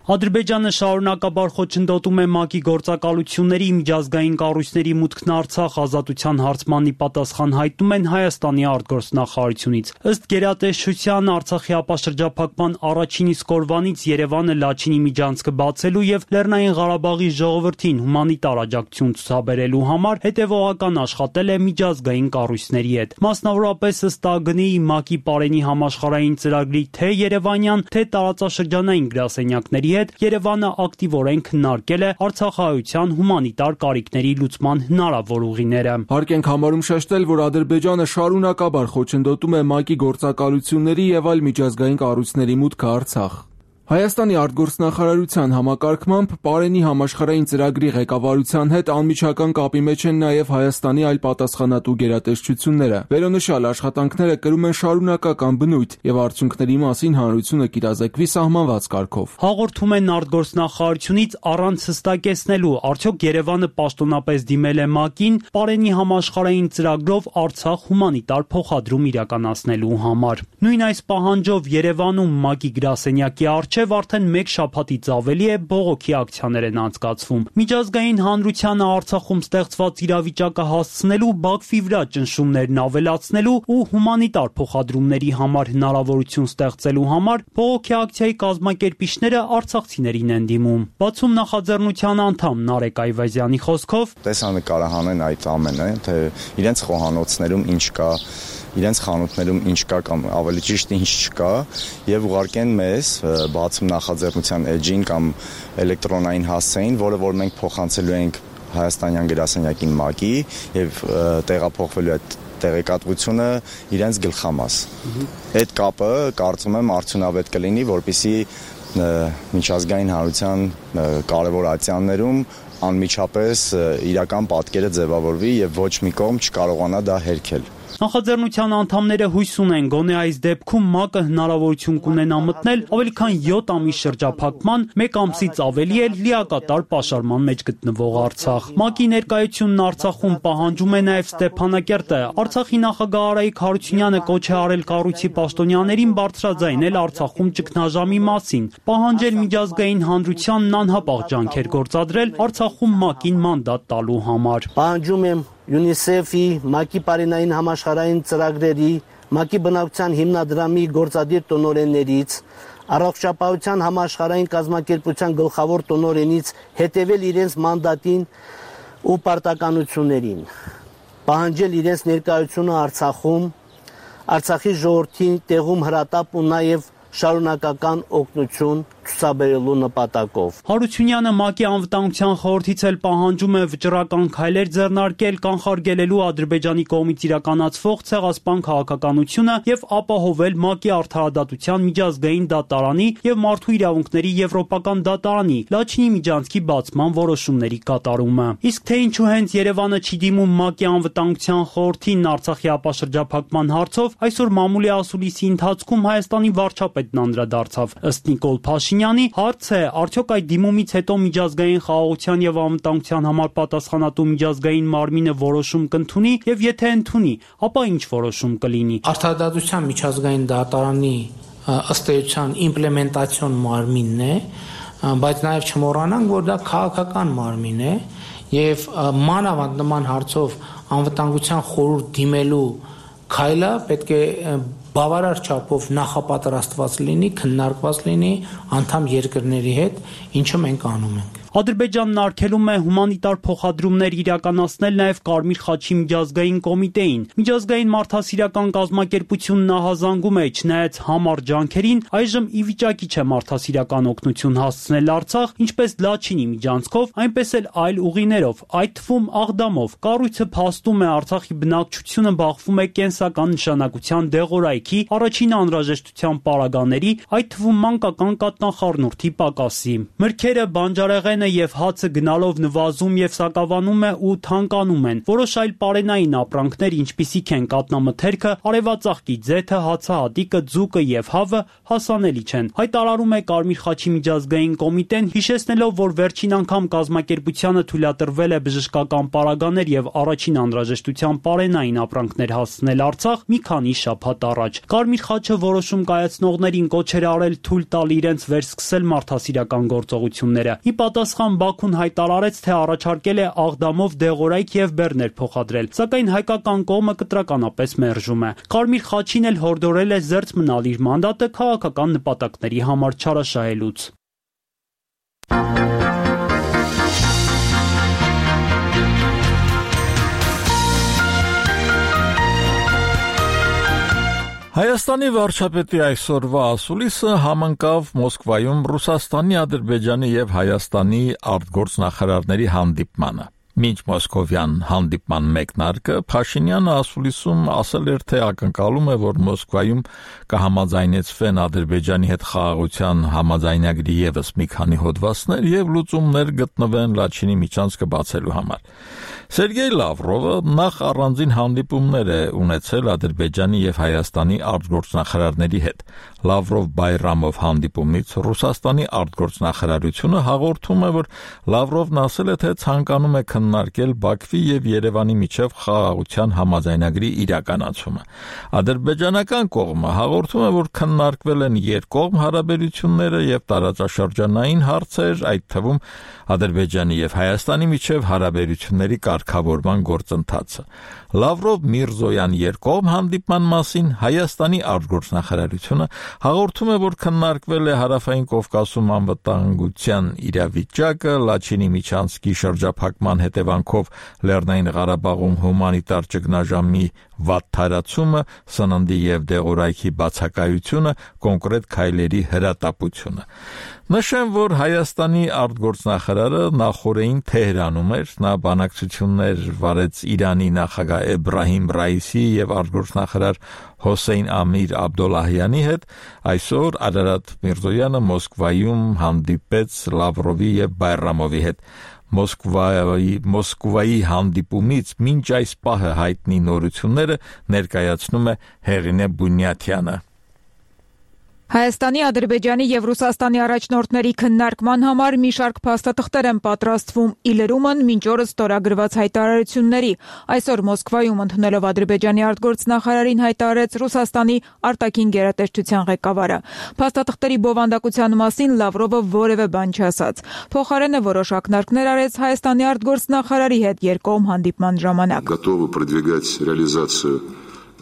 Ադրբեջանը շարունակաբար խոչընդոտում է ՄԱԿ-ի գործակալությունների միջազգային կառույցների մուտքն Արցախ ազատության հարցմանի պատասխան հայտնում են Հայաստանի արտգործնախարարությունից։ Ըստ գերատեսչության Արցախի ապաշրջափակման առաջին իսկ օրվանից Երևանը Լաչինի միջանցքը բացելու եւ Լեռնային Ղարաբաղի ժողովրդին հումանիտար աջակցություն ցուցաբերելու համար հետեւողական աշխատել է միջազգային կառույցների հետ։ Մասնավորապես ըստ ԱԳՆ-ի ՄԱԿ-ի Պարենի համաշխարհային ծրագրի թե Երևանյան, թե տարածաշրջանային գրասենյակների Երևանը ակտիվորեն քննարկել է արցախահայության հումանիտար կարիքների լուծման հնարավոր ուղիները։ Հարկ ենք համարում շեշտել, որ Ադրբեջանը շարունակաբար խոչընդոտում է ՄԱԿ-ի գործակալությունների եւ այլ միջազգային կառույցների մուտքը Արցախ։ Հայաստանի արտգործնախարարության համակարգմամբ Պարենի համաշխարհային ծրագրի ղեկավարության հետ անմիջական կապի մեջ են նաև Հայաստանի այլ պատասխանատու գերատեսչությունները։ Վերոնշյալ աշխատանքները կրում են շարունակական բնույթ եւ արդյունքների մասին հանրությունը կիրազեկվի սահմանված կարգով։ Հաղորդում են արտգործնախարարությունից առանց հստակեցնելու, արդյոք Երևանը պաշտոնապես դիմել է ՄԱԿ-ին Պարենի համաշխարհային ծրագրով Արցախ հումանիտար փոխադրում իրականացնելու համար։ Նույն այս պահանջով Երևանում ՄԱԿ-ի գրասենյակի առջև արդեն մեկ շաբաթից ավելի է բողոքի ակցիաներ են անցկացվում։ Միջազգային հանրությանը Արցախում ստեղծված իրավիճակը հասցնելու, Բաքվի վրա ճնշումներն ավելացնելու ու հումանիտար փոխադրումների համար հնարավորություն ստեղծելու համար բողոքի ակցիայի կազմակերպիչները արցախցիներին են դիմում։ Բացում նախաձեռնության անդամ Նարեկ Այվազյանի խոսքով տեսանկարը հանեն այդ ամենը, թե իրենց խոհանոցներում ինչ կա, իրենց խանութներում ինչ կա կամ ավելի ճիշտ ինչ չկա եւ ուղարկեն մեզ բացում նախաձեռնության էջին կամ էլեկտրոնային հասցեին, որը որ մենք փոխանցելու ենք Հայաստանյան գրասենյակին ՄԱԿ-ի եւ տեղափոխվելու այդ տեղեկատվությունը իրենց գլխամաս։ Այդ կապը կարծում եմ արդյունավետ կլինի, որպեսզի միջազգային հանրության կարևոր ատյաններում անմիջապես իրական պատկերը ձևավորվի եւ ոչ մի կողմ չկարողանա դա հերքել։ Նախաձեռնության անդամները հույս ունեն, գոնե այս դեպքում ՄԱԿ-ը հնարավորություն կունենա մտնել ավելի քան յոթ ամիս շրջափակման, մեկ ամսից ավելի էլ լիակատար պաշարման մեջ գտնվող Արցախ։ ՄԱԿ-ի ներկայությունն Արցախում պահանջում է նաև Ստեփանակերտը։ Արցախի նախագահ Արայիկ Հարությունյանը կոչ է արել կառույցի պաշտոնյաներին բարձրաձայնել Արցախում ճգնաժամի մասին, պահանջել միջազգային հանրությանն անհապաղ ջանքեր գործադրել Արցախում ՄԱԿ-ին մանդատ տալու համար։ Պահանջում եմ ՅՈՒՆԻՍԵՖ-ի, ՄԱԿ-ի Պարենային համաշխարհային ծրագրերի, ՄԱԿ-ի բնակչության հիմնադրամի գործադիր տնօրեններից, Առողջապահության համաշխարհային կազմակերպության գլխավոր տնօրենից հետևել իրենց մանդատին ու պարտականություններին, պահանջել իրենց ներկայությունը Արցախում, Արցախի ժողովրդին տեղում հրատապ ու նաև շարունակական օգնություն ցուցաբերելու նպատակով։ Հարությունյանը ՄԱԿ-ի անվտանգության խորհրդից էլ պահանջում է վճռական քայլեր ձեռնարկել կանխարգելելու Ադրբեջանի կողմից իրականացվող ցեղասպան քաղաքականությունը եւ ապահովել ՄԱԿ-ի արդարադատության միջազգային դատարանի եւ մարդու իրավունքների եվրոպական դատարանի Լաչինի միջանցքի բացման որոշումների կատարումը։ Իսկ թե ինչու հենց Երևանը չի դիմում ՄԱԿ-ի անվտանգության խորհրդին Արցախի ապաշրջափակման հարցով, այսօր մամուլի ասուլիսի ընթացքում Հայաստանի վարչապետն անդրադարձավ։ Ըստ Նիկոլ Փաշինյանի հարց է, արդյոք այդ դիմումից հետո միջազգային խաղաղության եւ անվտանգության համար պատասխանատու միջազգային մարմինը որոշում կընդունի եւ եթե ընդունի, ապա ինչ որոշում կլինի։ Արդարադատության միջազգային դատարանի ըստ էության իմպլեմենտացիոն մարմինն է, բայց նաեւ չմոռանանք, որ դա քաղաքական մարմին է եւ մանավանդ նման հարցով անվտանգության խորհուրդ դիմելու քայլը պետք է բավարար չափով նախապատրաստված լինի, քննարկված լինի անդամ երկրների հետ, ինչը մենք անում ենք։ Ադրբեջանն արգելում է հումանիտար փոխադրումներ իրականացնել նաև Կարմիր խաչի միջազգային կոմիտեին։ Միջազգային մարդասիրական կազմակերպությունն ահազանգում է, չնայած համառ ջանքերին, այժմ ի վիճակի չէ մարդասիրական օգնություն հասցնել Արցախ, ինչպես Լաչինի միջանցքով, այնպես էլ այլ ուղիներով, այդ թվում Աղդամով։ Կառույցը փաստում է Արցախի բնակչությունը բախվում է կենսական նշանակության դեղորայքի, առաջին անհրաժեշտության պարագաների, այդ թվում մանկական կաթնախառնուրդի պակասի։ Մրգերը, բանջարեղեն գլյուտենը եւ հացը գնալով նվազում եւ սակավանում է ու թանկանում են։ Որոշ այլ պարենային ապրանքներ, ինչպիսիք են կատնամթերքը, արևածաղկի ձեթը, հացահատիկը, ձուկը եւ հավը հասանելի չեն։ Հայտարարում է Կարմիր խաչի միջազգային կոմիտեն, հիշեցնելով, որ վերջին անգամ կազմակերպությանը թույլատրվել է բժշկական պարագաներ եւ առաջին անհրաժեշտության պարենային ապրանքներ հասցնել Արցախ մի քանի շաբաթ առաջ։ Կարմիր խաչը որոշում կայացնողներին կոչ էր արել թույլ տալ իրենց վերսկսել մարդասիրական գործողությունները։ Ի պատասխան Բաքուն հայտարարեց, թե առաջարկել է Աղդամով դեղորայք եւ բեռներ փոխադրել, սակայն հայկական կողմը կտրականապես մերժում է։ Կարմիր խաչին էլ հորդորել է զերծ մնալ իր մանդատը քաղաքական նպատակների համար չարաշահելուց։ Հայաստանի վարչապետի այսօրվա ասուլիսը համընկավ Մոսկվայում Ռուսաստանի, Ադրբեջանի եւ Հայաստանի արտգործնախարարների հանդիպմանը։ Մինչ մոսկովյան հանդիպման մեկնարկը Փաշինյանը ասուլիսում ասել էր, թե ակնկալում է, որ Մոսկվայում կհամաձայնեցվեն Ադրբեջանի հետ խաղաղության համաձայնագրի ևս մի քանի հոդվածներ եւ լուծումներ գտնվեն Լաչինի միջանցքը բացելու համար։ Սերգեյ Լավրովը նախ առանձին հանդիպումներ է ունեցել Ադրբեջանի եւ Հայաստանի արտգործնախարարների հետ։ Լավրով-Բայրամով հանդիպումից Ռուսաստանի արտգործնախարարությունը հաղորդում է, որ Լավրովն ասել է, թե ցանկանում է քննարկել Բաքվի եւ Երևանի միջև խաղաղության համաձայնագրի իրականացումը։ Ադրբեջանական կողմը հաղորդում է, որ քննարկվել են երկկողմ հարաբերությունները եւ տարածաշրջանային հարցեր, այդ թվում Ադրբեջանի եւ Հայաստանի միջև հարաբերությունների կարգավորման գործընթացը։ Լավրով-Միրզոյան երկկողմ հանդիպման մասին Հայաստանի արտգործնախարարությունը հաղորդում է, որ քննարկվել է Հարավային Կովկասում անվտանգության իրավիճակը, Լաչինի միջանցքի շրջափակման հետևանքով Լեռնային Ղարաբաղում հումանիտար ճգնաժամի վատթարացումը, սննդի եւ դեղորայքի բացակայությունը, կոնկրետ քայլերի հրատապությունը։ Նշեմ, որ Հայաստանի արտգործնախարարը նախորդին Թեհրանում էր, նա բանակցություններ վարեց Իրանի նախագահ Էբրահիմ Ռայիսի եւ արտգործնախարար Հոսեյն Ամիր Աբդոլլահյանի հետ, այսօր Արարատ Միրզոյանը Մոսկվայում հանդիպեց Լավրովի եւ Բայրամովի հետ։ Մոսկվայի Մոսկվայի հանդիպումից մինչ այս պահը հայտնի նորությունները ներկայացնում է Հեղինե Բունյաթյանը։ Հայաստանի, Ադրբեջանի եւ Ռուսաստանի առաջնորդների քննարկման համար մի շարք փաստաթղթեր են պատրաստվում՝ ի լրումն մինչ օրս ստորագրված հայտարարությունների։ Այսօր Մոսկվայում ընդունելով Ադրբեջանի արտգործնախարարին հայտարարեց Ռուսաստանի արտաքին գերատեսչության ղեկավարը։ Փաստաթղթերի բովանդակության մասին Լավրովը որևէ բան չասաց։ Փոխարենը որոշ ակնարկներ արեց Հայաստանի արտգործնախարարի հետ երկկողմ հանդիպման ժամանակ։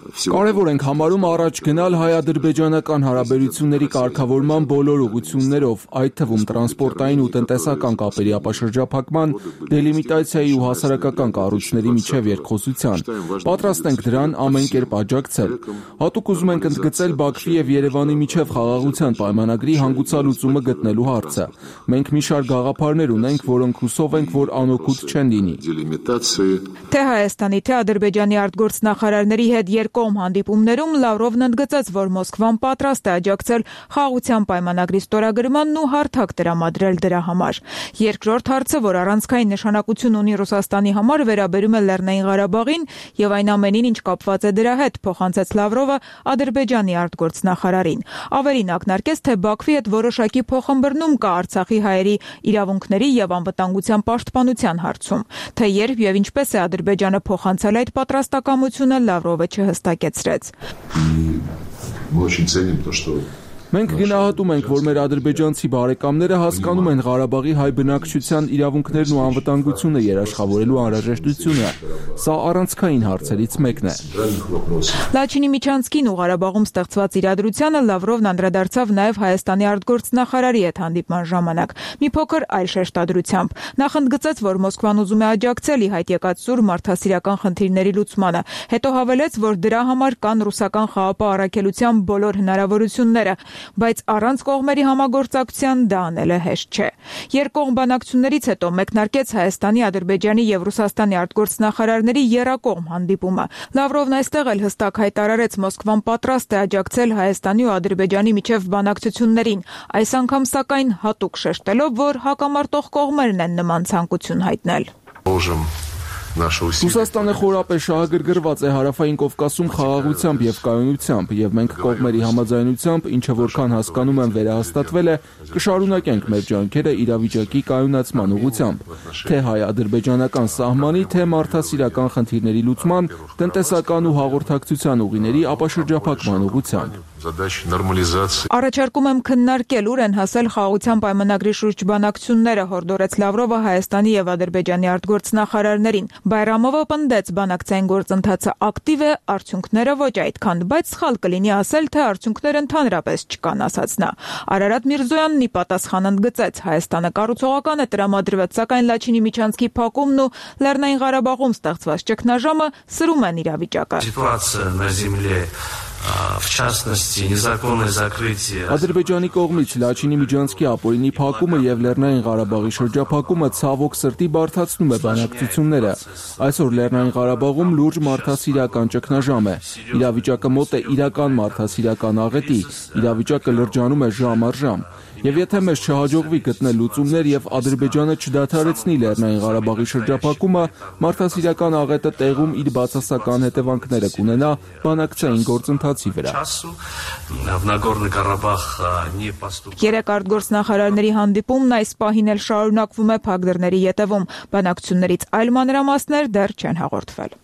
Կարևոր ենք համարում առաջ գնալ հայ-ադրբեջանական հարաբերությունների կարգավորման բոլոր ուղղություններով, այդ թվում տրանսպորտային ու տնտեսական կապերի ապաշրջափակման, դելիմիտացիայի ու հասարակական կառույցների միջև երկխոսության։ Պատրաստ ենք դրան ամեն կերպ աջակցել։ Հատուկ ուզում ենք ընդգծել Բաքվի եւ Երևանի միջև խաղաղության պայմանագրի հանգուցալուծումը գտնելու հարցը։ Մենք մի շարք գաղափարներ ունենք, որոնք հուսով ենք, որ անօգուտ չեն լինի։ Թե Հայաստանի, թե Ադրբեջանի արտգործնախարարների հետ կողմ հանդիպումներում Լավրովն ընդգծեց, որ Մոսկվան պատրաստ է աջակցել խաղաղության պայմանագրի ստորագրմանն ու հարթակ տրամադրել դրա համար։ Երկրորդ հարցը, որ առանցքային նշանակություն ունի Ռուսաստանի համար, վերաբերում է Լեռնային Ղարաբաղին եւ այն ամենին, ինչ կապված է դրա հետ, փոխանցեց Լավրովը Ադրբեջանի արտգործնախարարին։ Ավելին ակնարկեց, թե Բաքվի հետ որոշակի փոխըմբռնում կա Արցախի հայերի իրավունքների եւ անվտանգության պաշտպանության հարցում։ Թե երբ եւ ինչպես է Ադրբեջանը փոխանցել այդ պատրաստակամությունը, Լավրովը չհստակեցրեց։ Մենք գնահատում ենք, որ մեր ադրբեջանցի բարեկամները հասկանում են Ղարաբաղի հայ բնակչության իրավունքներն ու անվտանգությունը երաշխավորելու անհրաժեշտությունը։ Սա առանցքային հարցերից մեկն է։ Լաչինի միջանցքին ու Ղարաբաղում ստեղծված իրադրությանը Լավրովն անդրադարձավ նաև Հայաստանի արտգործնախարարի հետ հանդիպման ժամանակ։ Մի փոքր այլ շեշտադրությամբ նախ ընդգծեց, որ Մոսկվան ուզում է աջակցել ի հայտ եկած սուր մարդասիրական խնդիրների լուծմանը, հետո հավելեց, որ դրա համար կան ռուսական խաղապահ առաքելության բոլոր հնարավորությունները։ բայց առանց կողմերի համագործակցության դա անելը հեշտ չէ։ Երկկողմ բանակցություններից հետո մեկնարկեց Հայաստանի, Ադրբեջանի եւ Ռուսաստանի արտգործնախարարների եռակողմ հանդիպումը։ Լավրովն այստեղ էլ հստակ հայտարարեց Մոսկվան պատրաստ է աջակցել Հայաստանի ու Ադրբեջանի միջև բանակցություններին, այս անգամ սակայն հատուկ շեշտելով, որ հակամարտող կողմերն են նման ցանկություն հայտնել։ Ռուսաստանը խորապես շահագրգռված է Հարավային Կովկասում խաղաղությամբ եւ կայունությամբ, եւ մենք կողմերի համաձայնությամբ, ինչը որքան հասկանում եմ վերահաստատվել է, կշարունակենք մեր ջանքերը իրավիճակի կայունացման ուղղությամբ, թե հայ-ադրբեջանական սահմանի, թե մարդասիրական խնդիրների լուծման, տնտեսական ու հաղորդակցության ուղիների ապաշրջափակման ուղղությամբ։ Առաջարկում եմ քննարկել ուր են հասել խաղաղության պայմանագրի շուրջ բանակցությունները, հորդորեց Լավրովը Հայաստանի եւ Ադրբեջանի արտգործնախարարներին։ Բայրամովը պնդեց բանակցային գործընթացը ակտիվ է, արդյունքները ոչ այդքան, բայց սխալ կլինի ասել, թե արդյունքներ ընդհանրապես չկան, ասաց նա։ Արարատ Միրզոյանն ի պատասխան ընդգծեց, Հայաստանը կառուցողական է տրամադրված, сакայն Լաչինի միջանցքի փակումն ու Լեռնային Ղարաբաղում ստեղծված ճգնաժամը սրում են իրավիճակը։ Ադրբեջանի կողմից Լաչինի միջանցքի ապօրինի փակումը եւ Լեռնային Ղարաբաղի շրջափակումը ցավոք սրտի բարդացնում է բանակցությունները։ Այսօր Լեռնային Ղարաբաղում լուրջ մարդասիրական ճգնաժամ է։ Իրավիճակը մոտ է իրական մարդասիրական աղետի, իրավիճակը լրջանում է ժամ առ ժամ։ Եվ եթե մեզ չհաջողվի գտնել լուծումներ եւ Ադրբեջանը չդադարեցնի Լեռնային Ղարաբաղի շրջափակումը, մարդասիրական աղետը տեղում իր բացասական հետևանքները կունենա բանակցային գործընթացի վրա։ Երեք արտգործնախարարների հանդիպումն այս պահին էլ շարունակվում է փակ դռների ետևում։ Բանակցություններից այլ մանրամասներ դեռ չեն հաղորդվել։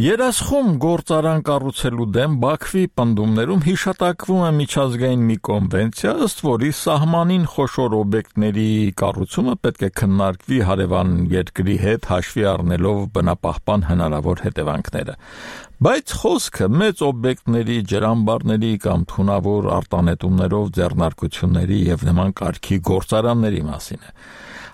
Երասխում գործարան կառուցելու դեմ Բաքվի պնդումներում հիշատակվում է միջազգային մի կոնվենցիա, ըստ որի սահմանին խոշոր օբյեկտների կառուցումը պետք է քննարկվի հարևան երկրի հետ հաշվի առնելով բնապահպան հնարավոր հետևանքները։ Բայց խոսքը մեծ օբյեկտների, ջրամբարների կամ թունավոր արտանետումներով ձեռնարկությունների եւ նման կարգի գործարանների մասին է։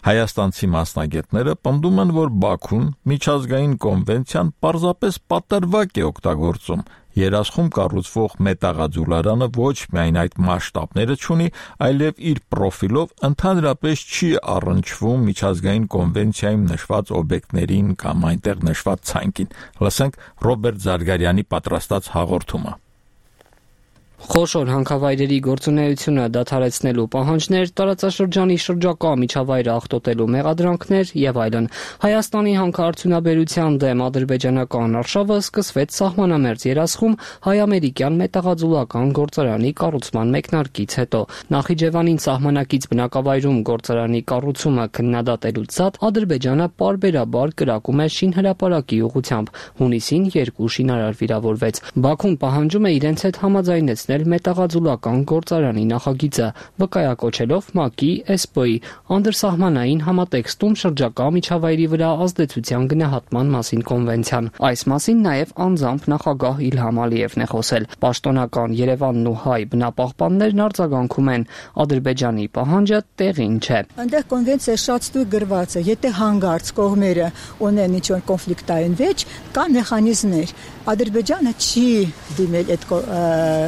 Հայաստանցի մասնագետները պնդում են, որ Բաքուն միջազգային կոնվենցիան պարզապես պատրվակ է օգտագործում։ Երասխում կառուցվող մետաղաձուլարանը ոչ միայն այդ մասշտաբները չունի, այլև իր պրոֆիլով ընդհանրապես չի առնչվում միջազգային կոնվենցիայում նշված օբյեկտներին կամ այնտեղ նշված ցանկին։ Լսենք Ռոբերտ Զարգարյանի պատրաստած հաղորդումը։ Խոշոր հանքավայրերի գործունեությունը դադարեցնելու պահանջներ, տարածաշրջանի շրջակա միջավայրը աղտոտելու մեղադրանքներ եւ այլն։ Հայաստանի հանքարդյունաբերության դեմ ադրբեջանական արշավը սկսվեց սահմանամերձ Երասխում հայ-ամերիկյան մետաղաձուլական գործարանի կառուցման մեկնարկից հետո։ Նախիջևանին սահմանակից բնակավայրում գործարանի կառուցումը քննադատելուց զատ Ադրբեջանը պարբերաբար կրակում է շինհրապարակի ուղղությամբ։ Հունիսին երկու շինարար վիրավորվեց։ Բաքուն պահանջում է իրենց հետ համաձայնեցնել մետաղաձուլական գործարանի նախագիծը, վկայակոչելով ՄԱԿ-ի, էսպոյի անդրսահմանային համատեքստում շրջակա միջավայրի վրա ազդեցության գնահատման մասին կոնվենցիան։ Այս մասին նաև անձամբ նախագահ Իլհամ Ալիևն է խոսել։ Պաշտոնական Երևանն ու հայ բնապահպաններն արձագանքում են, Ադրբեջանի պահանջը տեղին չէ։ Այնտեղ կոնվենցիա շատ ստույգ գրված է, եթե հանգարց կողմերը ունեն ինչ-որ կոնֆլիկտային վեճ, կան մեխանիզմներ։ Ադրբեջանը չի դիմել այդ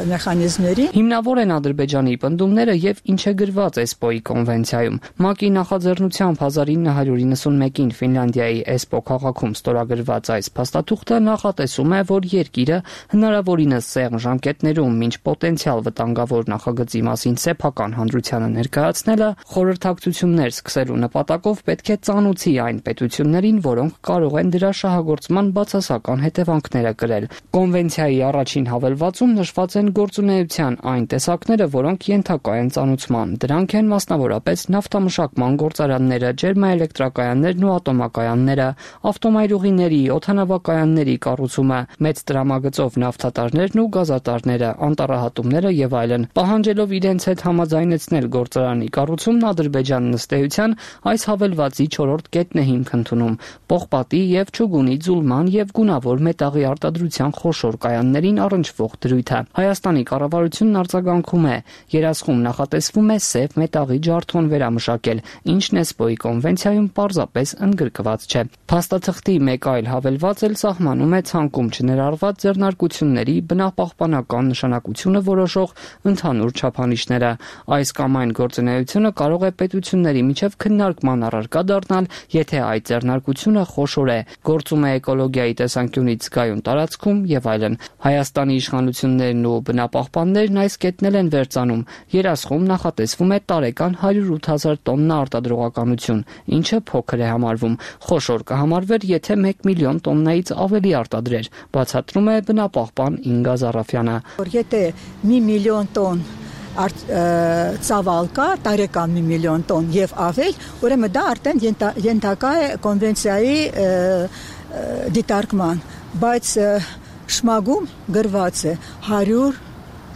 մեխանիզմների։ Հիմնավոր են Ադրբեջանի պնդումները եւ ինչ է գրված էսպոյի կոնվենցիայում։ ՄԱԿ-ի նախաձեռնությամբ հազար ինը հարյուր իննսունմեկին Ֆինլանդիայի Էսպո քաղաքում ստորագրված այս փաստաթուղթը նախատեսում է, որ երկիրը հնարավորինս սեղմ ժամկետներում մինչ պոտենցիալ վտանգավոր նախագծի մասին սեփական հանրությանը ներկայացնելը խորհրդակցություններ սկսելու նպատակով պետք է ծանուցի այն պետություններին, որոնք կարող են դրա շահագործման բացասական հետևանքները կրել։ Կոնվենցիայի առաջին հավելվածում նշված են գործունեության այն տեսակները, որոնք ենթակա են ծանուցման։ Դրանք են մասնավորապես նավթամշակման գործարանները, ջերմաէլեկտրակայաններն ու ատոմակայանները, ավտոմայրուղիների, օդանավակայանների կառուցումը, մեծ տրամագծով նավթատարներն ու գազատարները, անտառահատումները եւ այլն։ Պահանջելով իրենց հետ համաձայնեցնել գործարանի կառուցումն, Ադրբեջանն ըստ էության այս հավելվածի չորրորդ կետն է հիմք ընդունում։ Պողպատի եւ չուգունի ձուլման եւ գունավոր մետաղի արտադրության խոշոր կայաններին առնչվող դրույթը։ Հայաստանի կառավարությունն արձագանքում է։ Երասխում նախատեսվում է սև մետաղի ջարդոն վերամշակել, ինչն էսպոյի կոնվենցիայում պարզապես ընդգրկված չէ։ Փաստաթղթի մեկ այլ հավելված էլ սահմանում է ցանկում չներառված ձեռնարկությունների բնապահպանական նշանակությունը որոշող ընդհանուր չափանիշները։ Այս կամ այն գործունեությունը կարող է պետությունների միջև քննարկման առարկա դառնալ, եթե այդ ձեռնարկությունը խոշոր է, գործում է էկոլոգիայի տեսանկյունից զգայուն տարածքում եւ այլն։ Հայաստանի իշխանություններն ու բնապահպաններն այս կետն են վերցանում։ Երասխում նախատեսվում է տարեկան հարյուր ութ հազար տոննա արտադրողականություն, ինչը փոքր է համարվում։ Խոշոր կհամարվեր, եթե մեկ միլիոն տոննայից ավելի արտադրեր, բացատրում է բնապահպան Ինգա Զարաֆյանը։ Եթե մի միլիոն տոն ծավալ կա, տարեկան մի միլիոն տոն եւ ավել, ուրեմն դա արդեն ենթակա է կոնվենցիայի դիտարկման, բայց շմագում գրված է հարյուր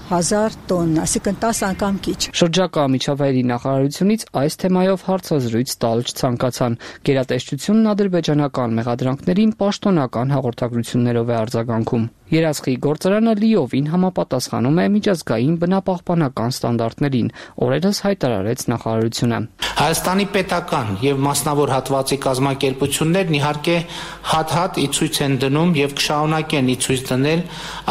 հազար տոննա, այսինքն տասը անգամ քիչ։ Շրջակա միջավայրի նախարարությունից այս թեմայով հարցազրույց տալ չցանկացան։ Գերատեսչությունն ադրբեջանական մեղադրանքներին պաշտոնական հաղորդագրություններով է արձագանքում։ Երասխի գործարանը լիովին համապատասխանում է միջազգային բնապահպանական ստանդարտներին, օրերս հայտարարեց նախարարությունը։ Հայաստանի պետական եւ մասնավոր հատվածի կազմակերպություններն իհարկե հատ-հատ ի ցույց են դնում եւ կշարունակեն ի ցույց դնել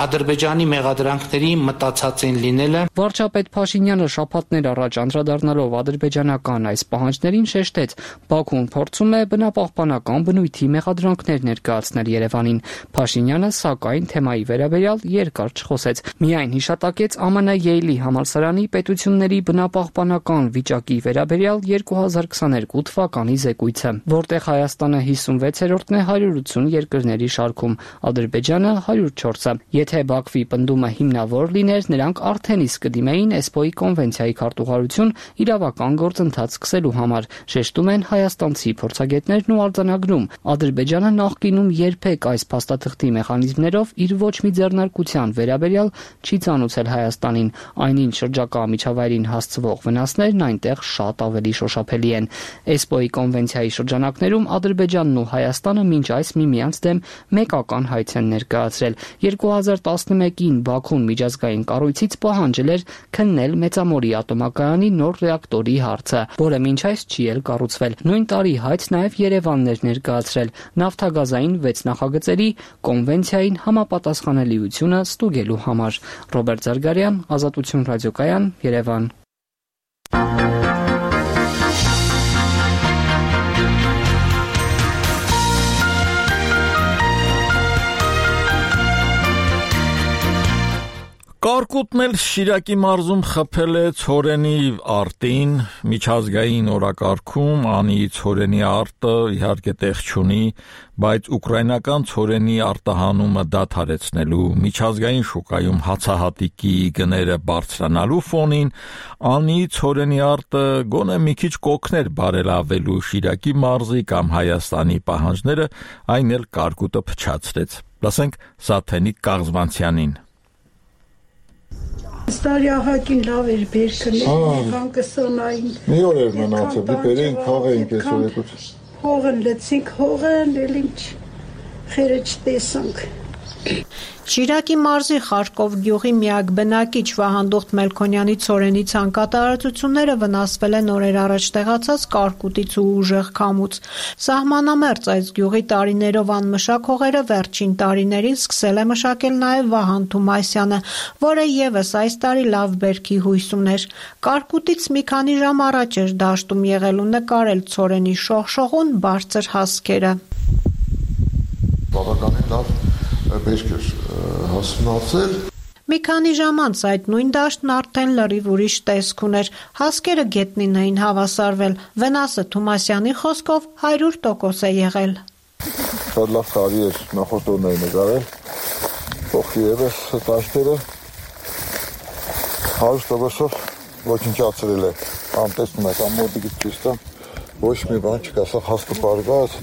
Ադրբեջանի մեղադրանքների մտածածին լինելը։ Վարչապետ Փաշինյանը շաբաթներ առաջ անդրադառնալով ադրբեջանական այս պահանջներին շեշտեց, Բաքուն փորձում է բնապահպանական բնույթի մեղադրանքներ ներկայացնել Երևանին։ Փաշինյանը սակայն թեմայի վերաբերյալ երկար չխոսեց, միայն հիշատակեց ԱՄՆ Յեյլի համալսարանի պետությունների բնապահպանական վիճակի վերաբերյալ երկու հազար քսաներկու թվականի զեկույցը, որտեղ Հայաստանը հիսունվեցերորդն է հարյուր ութ երկրների շարքում, Ադրբեջանը հարյուր չորսը։ Եթե Բաքվի պնդումը հիմնավոր լիներ, նրանք արդեն իսկ կդիմեին էսպոյի կոնվենցիայի քարտուղարություն իրավական գործընթաց սկսելու համար, շեշտում են հայաստանցի փորձագետներն ու արձանագրում։ Ադրբեջանը նախկինում երբեք այս փաստաթղթի մեխանիզմներով իր ոչ մի ձեռնարկության վերաբերյալ չի ծանուցել Հայաստանին, այնինչ շրջակա միջավայրին հասցվող վնասներն այնտեղ շատ ավելի շոշափելի են։ էսպոյի կոնվենցիայի շրջանակներում Ադրբեջանն ու Հայաստանը մինչ այս միմյանց դեմ մեկական հայց են ներկայացրել։ երկու հազար տասնմեկին Բաքուն միջազգային կառույցից պահանջել էր քննել Մեծամորի ատոմակայանի նոր ռեակտորի հարցը, որը մինչ այս չի էլ կառուցվել։ Նույն տարի հայց նաև Երևանն էր ներկայացրել նավթագազային վեց նախագծերի կոնվենցիային համապատասխանելիությունը ստուգելու համար։ Ռոբերտ Զարգարյան, Ազատություն ռադիոկայան, Երևան։ Կարկուտն էլ Շիրակի մարզում խփել է ցորենի արտին, միջազգային օրակարգում անի ցորենի արտը իհարկե տեղ չունի, բայց ուկրաինական ցորենի արտահանումը դադարեցնելու միջազգային շուկայում հացահատիկի գները բարձրանալու ֆոնին անի ցորենի արտը գոնե մի քիչ կօգներ բարելավելու Շիրակի մարզի կամ Հայաստանի պահանջները, այն էլ կարկուտը փչացրեց։ Լսենք Սաթենիկ Կաղզվանցյանին։ Ստարյահակին լավ էր բերքն, եկան կսոնային։ Մի օր էր մնացել, դի բերեին քաղեինք այս օրեկուց։ Հողն լեցինք, հողն էլ ինչ խերը չտեսանք։ Շիրակի մարզի Խարկով գյուղի միակ բնակիչ Վահանդուխտ Մելքոնյանի ցորենի ցանկատարածությունները վնասվել են օրեր առաջ տեղացած կարկուտից ու ուժեղ քամուց։ Սահմանամերձ այս գյուղի տարիներով անմշակ հողերը վերջին տարիներին սկսել է մշակել նաև Վահան Թումասյանը, որը եւս այս տարի լավ բերքի հույս ուներ։ Կարկուտից մի քանի ժամ առաջ էր դաշտում եղել ու նկարել ցորենի շողշողուն բարձր հասկերը։ Բավականին լավ բերք էր հասունացել։ Մի քանի ժամ անց այդ նույն դաշտն արդեն լրիվ ուրիշ տեսք ուներ, հասկերը գետնին էին հավասարվել, վնասը Թումասյանի խոսքով հարյուր տոկոս է եղել։ Շատ լավ տարի էր, նախորդ օրն էր նկարել, փոխի ևս դաշտերը հարյուր տոկոսով ոչնչացրել է, անտեսնում եք, ամոտիկից ցույց տամ, ոչ մի բան չկա, սա հասկը պարգած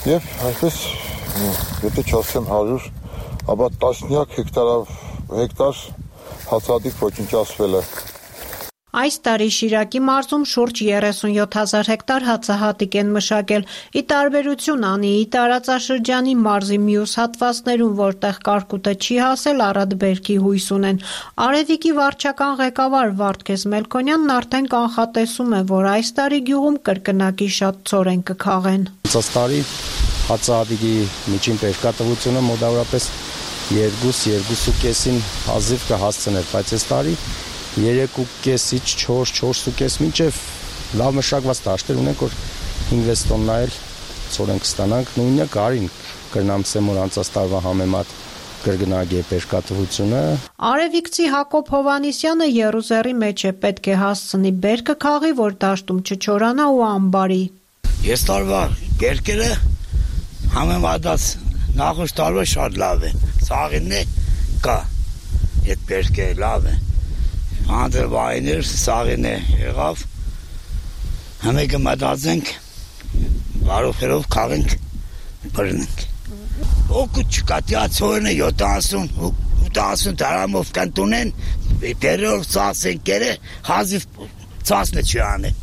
եւ այսպես եթե չասեմ հարյուր, ապա տասնյակ հեկտարով հեկտար հացադիկ ոչնչացվել է։ Այս տարի Շիրակի մարզում շուրջ երեսունյոթ հազար հեկտար հացահատիկ են մշակել, ի տարբերություն Անիի տարածաշրջանի մարզի մյուս հատվածներում, որտեղ կարկուտը չի հասել, առատբերքի հույս ունեն։ Արևիկի վարչական ղեկավար Վարդգես Մելքոնյանն արդեն կանխատեսում է, որ այս տարի գյուղում կրկնակի շատ ցորեն կքաղեն։ Այս տարի հացահատիկի միջին բերքատվությունը մոտավորապես երկու երկու կեսին հազիվ կհասցներ, բայց այս տարի երեք ու կեսից չորս, չորս ու կես մինչև լավ մշակված դաշտեր ունենք, որ հինգ տոննա էլ ցորեն կստանանք, նույնը կարին կրնամ սեմոր անցած տարվա համեմատ կրկնագի բերքատվությունը։ Արևիկցի Հակոբ Հովանիսյանը Եռուզեռի մեջ է, պետք է հասցնի բերքը քաղի, որ դաշտում չչորանա ու ամբարի։ Ես տարվա բերքերը համեմատած նախորդ տարվա շատ լավ է, սաղինն է կա, այդ բերքը լավ է։ Անդրվայներ սաղին է եղավ, համեկը մտածենք, բարոքերով քաղենք, բրնենք։ Օգուտ չկա, տիա ծորն է յոթանասուն, ութանասուն դարամով կանտունեն, բերով ծասեն կերը, հազիվ ծասնը չի անը։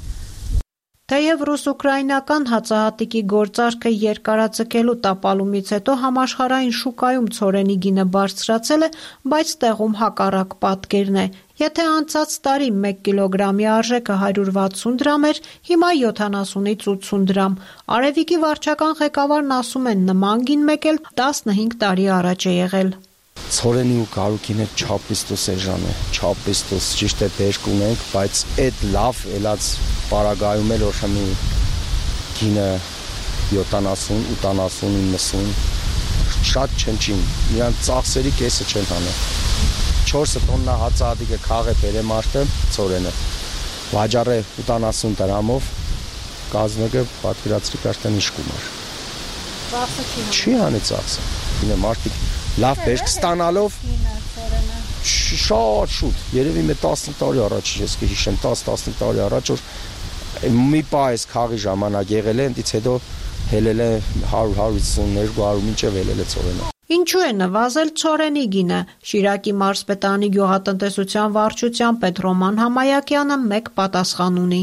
Թեև ռուս-ուկրաինական հացահատիկի գործարքը երկարաձգելու տապալումից հետո համաշխարհային շուկայում ցորենի գինը բարձրացել է, բայց տեղում հակառակ պատկերն է։ Եթե անցած տարի մեկ կիլոգրամի արժեքը հարյուր վաթսուն դրամ էր, հիմա յոթանասունից ութսուն դրամ։ Արևիկի վարչական ղեկավարն ասում են, նման գին մեկ էլ տասնհինգ տարի առաջ է եղել։ Ցորենի ու կարուկին հետ չապիստոս էժան է, չապիստոս ճիշտ է բերք ունենք, բայց այդ լավ ելած պարագայում էլ որ մի գինը յոթանասուն, ութանասուն, իննսուն շատ չնչին, նրան ծախսերի կեսը չեն հանել։ չորս տոննա հացահատիկը քաղ է բերեմ արտը ցորենը, վաճառ է ութանասուն դրամով, կազմը պատվիրացրի կարտեն ինչ գումար։ Ծախսը չի հանել։ Չի հանի ծախսը, ինը մարդիկ լավ բերք ստանալով շատ շուտ, երևի մի տասնհինգ տարի առաջ, ես կհիշեմ տասն-տասնհինգ տարի առաջ, որ մի պահ այս քաղի ժամանակ եղել է, ընդից հետո հելել է հարյուր հարյուր երկու հարյուր մինչև հելել է ցորենը։ Ինչու է նվազել ցորենի գինը։ Շիրակի մարզպետարանի գյուղատնտեսության վարչության պետ Ռոման Համայակյանը մեկ պատասխան ունի։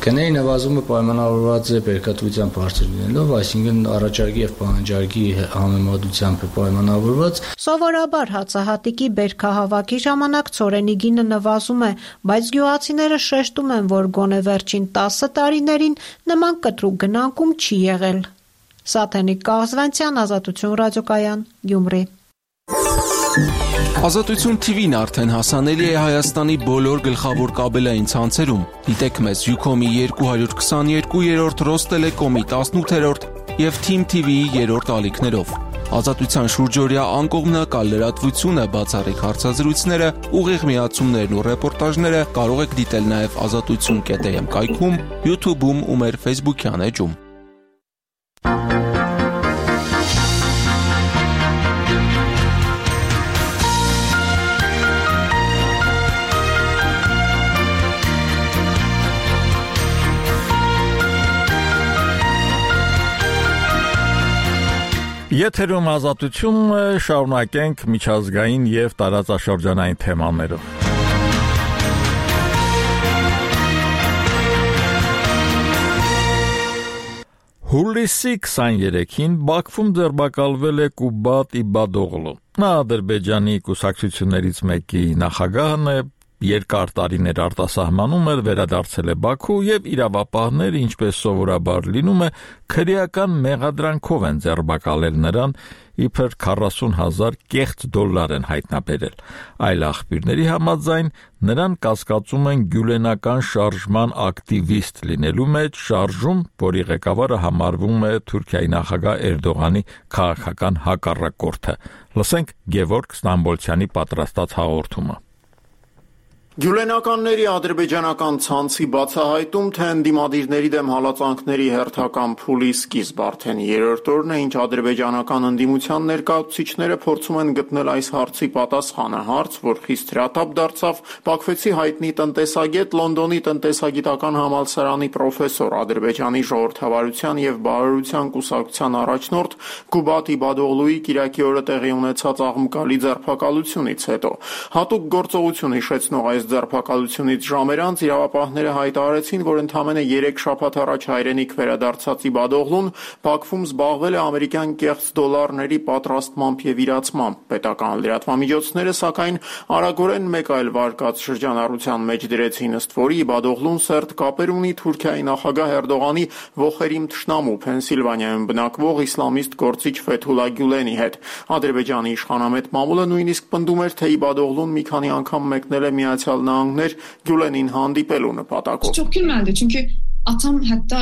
Գների նվազումը պայմանավորված է բերքատվության բարձր լինելով, այսինքն առաջարկի եւ պահանջարկի համեմատությամբ է պայմանավորված։ Սովորաբար հացահատիկի բերքահավաքի ժամանակ ցորենի գինը նվազում է, բայց գյուղացիները շեշտում են, որ գոնե վերջին տասը տարիներին նման կտրուկ գնանկում չի եղել։ Սաթենիկ Կազվանցյան, Ազատություն ռադիոկայան, Գյումրի։ Ազատություն Թի Վին արդեն հասանելի է Հայաստանի բոլոր գլխավոր կաբելային ցանցերում։ Դիտեք մեզ Յուքոմի երկու քսաներկու, Ռոստելեկոմի տասնութերորդ եւ Թիմ Թի Վիի երրորդ ալիքներով։ Ազատության շուրջօրյա անկողմնակալ լրատվությունը, բացառիկ հարցազրույցները, ուղիղ միացումներն ու ռեպորտաժները կարող եք դիտել նաեւ ազատություն կետ էմ կայքում, YouTube-ում ու մեր Facebook-յան էջում։ Եթերում ազատություն շարունակենք միջազգային եւ տարածաշրջանային թեմաներով։ Հուլիսի քսաներեքին Բաքվում ձերբակալվել է Կուբատ Իբադօղլու։ Նա Ադրբեջանի կուսակցություններից մեկի նախագահն է, երկար տարիներ արտասահմանում էր, վերադարձել է Բաքու եւ իրավապահները, ինչպես սովորաբար լինում է, քրեական մեղադրանքով են ձերբակալել նրան, իբր քառասուն հազար կեղծ դոլար են հայտնաբերել։ Այլ աղբյուրների համաձայն նրան կասկածում են գյուլենական շարժման ակտիվիստ լինելու մեջ, շարժում, որի ղեկավարը համարվում է Թուրքիայի նախագահ Էրդողանի քաղաքական հակառակորդը։ Լսենք Գևորգ Ստամբոլցյանի պատրաստած հաղորդումը։ Գյուլենականների ադրբեջանական ցանցի բացահայտում, թե ընդդիմադիրների դեմ հալածանքների հերթական փուլի սկիզբ արդեն երրորդ օրն է, ինչ ադրբեջանական ընդդիմության ներկայացուցիչները փորձում են գտնել այս հարցի պատասխանը, հարց, որ խիստ հրատապ դարձավ Բաքվեցի հայտնի տնտեսագետ, Լոնդոնի տնտեսագիտական համալսարանի պրոֆեսոր, Ադրբեջանի ժողովրդավարության եւ բարոյության կուսակցության առաջնորդ Կուբատ Իբադօղլուի կիրակի օրը տեղի ունեցած աղմկալի ձերբակալությունից հետո։ Հատուկ գործողություն հիշեցնող այս այս ձերբակալությունից ժամեր անց իրավապահները հայտարարեցին, որ ընդամենը երեք շաբաթ առաջ հայրենիք վերադարձած Իբադօղլուն Բաքվում զբաղվել է ամերիկյան կեղծ դոլարների պատրաստմամբ եւ իրացմամբ։ Պետական լրատվամիջոցները սակայն արագորեն մեկ այլ վարկած շրջանառության մեջ դրեցին, ըստ որի Իբադօղլուն սերտ կապեր ունի Թուրքիայի նախագահ Էրդողանի ողերիմ թշնամու Փենսիլվանիայում բնակվող իսլամիստ գործիչ Ֆեթուլա Գյուլենի հետ։ Ադրբեջանի իշխանամետ մամուլը նույնիսկ պնդում էր, թե Իբադօղլուն մի քանի անգամ մեկնել է Միացյալ Նահանգներ Գյուլենին հանդիպելու նպատակով։ Çok gülmendi çünkü atam hatta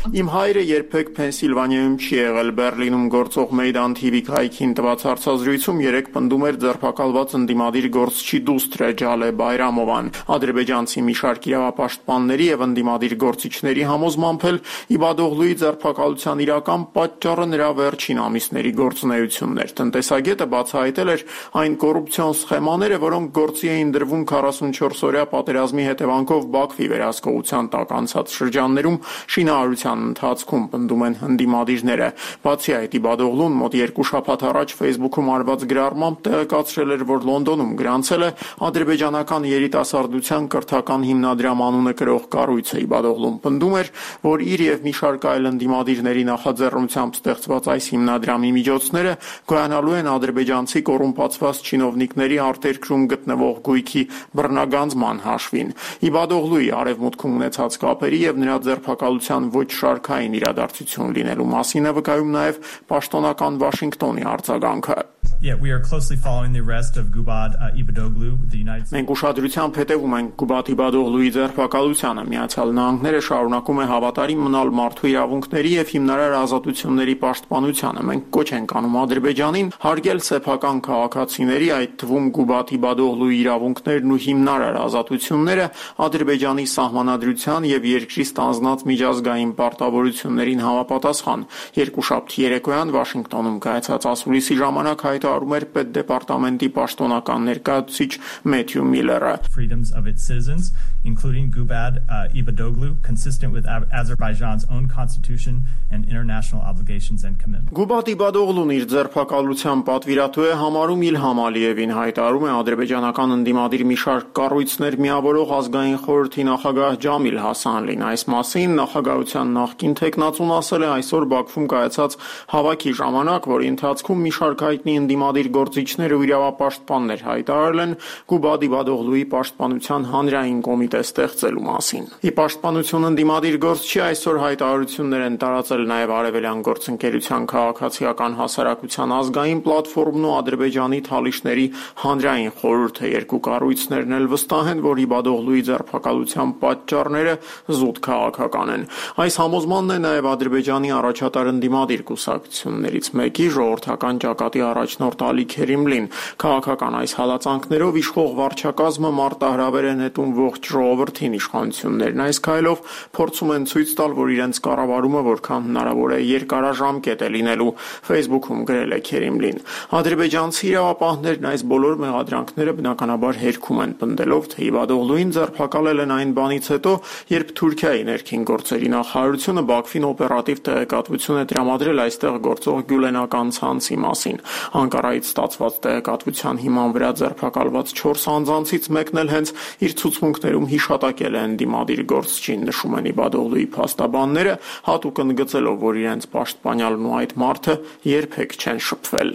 Իմ հայրը երբեք Փենսիլվանիայում չի եղել, Բերլինում գործող Մեյդան թի վի կայքին տված հարցազրույցում երեք պնդում էր ձերբակալված ընդդիմադիր գործչի դուստրը Ջալե Բայրամովան։ Ադրբեջանցի մի շարք իրավապաշտպանների եւ ընդդիմադիր գործիչների համոզմամբ էլ Իբադօղլուի ձերբակալության իրական պատճառը նրա վերջին ամիսների գործունեությունն էր։ Տնտեսագետը բացահայտել էր այն կոռուպցիոն սխեմաները, որոնք գործի էին դրվում քառասունչորս-օրյա պատերազմի հետևանքով Բաքվի վերահսկողության տակ անցած շրջաններում շինարարության ընթացքում, պնդում են ընդդիմադիրները։ Բացի այդ, Իբադօղլուն մոտ երկու շաբաթ առաջ Facebook-ում արված գրառմամբ տեղեկացրել էր, որ Լոնդոնում գրանցել է ադրբեջանական երիտասարդության կրթական հիմնադրամ անունը կրող կառույցը։ Իբադօղլուն պնդում էր, որ իր եւ մի շարք այլ ընդդիմադիրների նախաձեռնությամբ ստեղծված այս հիմնադրամի միջոցները գոյանալու են ադրբեջանցի կոռումպացված չինովնիկների արտերկրում գտնվող գույքի բռնագանձման հաշվին։ Իբադօղլուի արևմուտքում ունեցած կապերի եւ նրա ձերբակալության ոչ շարքային իրադարձություն լինելու մասին է վկայում նաև պաշտոնական Վաշինգտոնի արձագանքը։ Yeah, we are closely following the arrest of Gubad uh, Ibadoglu, the United States. Մենք ուշադրությամբ հետևում ենք Գուբադ Իբադօղլուի ձերբակալությանը։ Միացյալ Նահանգները շարունակում է հավատարիմ մնալ մարդու իրավունքների եւ հիմնարար ազատությունների պաշտպանությանը։ Մենք կոչ ենք անում Ադրբեջանին հարգել սեփական քաղաքացիների, այդ թվում Գուբադ Իբադօղլուի իրավունքներն ու հիմնարար ազատությունները, Ադրբեջանի սահմանադրության եւ երկրի ստանձնած միջազգային պարտավորություններին համապատասխան։ Երկուշաբթի երեկոյան Վաշինգտոնում կայացած ասուլիսի ժամանակ հայտարարում էր պետդեպարտամենտի պաշտոնական ներկայացուցիչ Մեթյու Միլլերը։ Freedoms of its citizens, including Gubad uh, Ibadoglu, consistent with Azerbaijan's own constitution and international obligations and commitments. Գուբադ Իբադօղլուն իր ձերբակալության պատվիրատու է համարում Իլհամ Ալիևին, հայտարարում է ադրբեջանական ընդդիմադիր մի շարք կառույցներ միավորող ազգային խորհրդի նախագահ Ջամիլ Հասանլին։ Այս մասին նախագահության նախկին թեկնածուն ասել է այսօր Բաքվում կայացած հավաքի ժամանակ, որի ընթացքում մի շարք հայտնի ընդդիմադիր գործիչներ ու իրավապաշտպաններ հայտարարել են Գուբադ Իբադօղլուի պաշտպանության հանրային կոմիտե ստեղծելու մասին։ Ի պաշտպանություն ընդդիմադիր գործչի այսօր հայտարարություններ են տարածել նաև Արևելյան գործընկերության քաղաքացիական հասարակության ազգային պլատֆորմն ու Ադրբեջանի թալիշների հանրային խորհուրդը։ Երկու կառույցներն էլ վստահ են, որ Իբադօղլուի ձերբակալության պատճառները զուտ քաղաքական են։ Այս համոզմանն է նաև Ադրբեջանի առաջատար ընդդիմադիր կուսակցություններից մեկի ժողովրդական ճակատի առաջնորդ Ալի Քերիմլին։ Քաղաքական այս հալածանքներով իշխող վարչակազմը մարտահրավեր է նետում ողջ ժողովրդին։ Իշխանություններն այս քայլով փորձում են ցույց տալ, որ իրենց կառավարումը որքան հնարավոր է երկարաժամկետ է լինելու, Facebook-ում գրել է Քերիմլին։ Ադրբեջանցի իրավապահներն այս բոլոր մեղադրանքները բնականաբար հերքում են, պնդելով, թե Իբադօղլուին ձերբակալել են այն բանից հետո, երբ Թուրքիայի ներքին գործերի նախարարությունը Բաքվին օպերատիվ տեղեկատվություն է տրամադրել այստեղ գործող գյուլենական ցանցի մասին։ Անկարայից ստացված տեղեկատվության հիման վրա ձերբակալված չորս անձանցից մեկն էլ հենց իր ցուցմունքներում հիշատակել է ընդդիմադիր գործչին, նշում են Իբադօղլուի փաստաբանները, հատուկ ընդգծելով, որ իրենց պաշտպանյալն ու այդ մարդը երբեք չեն շփվել։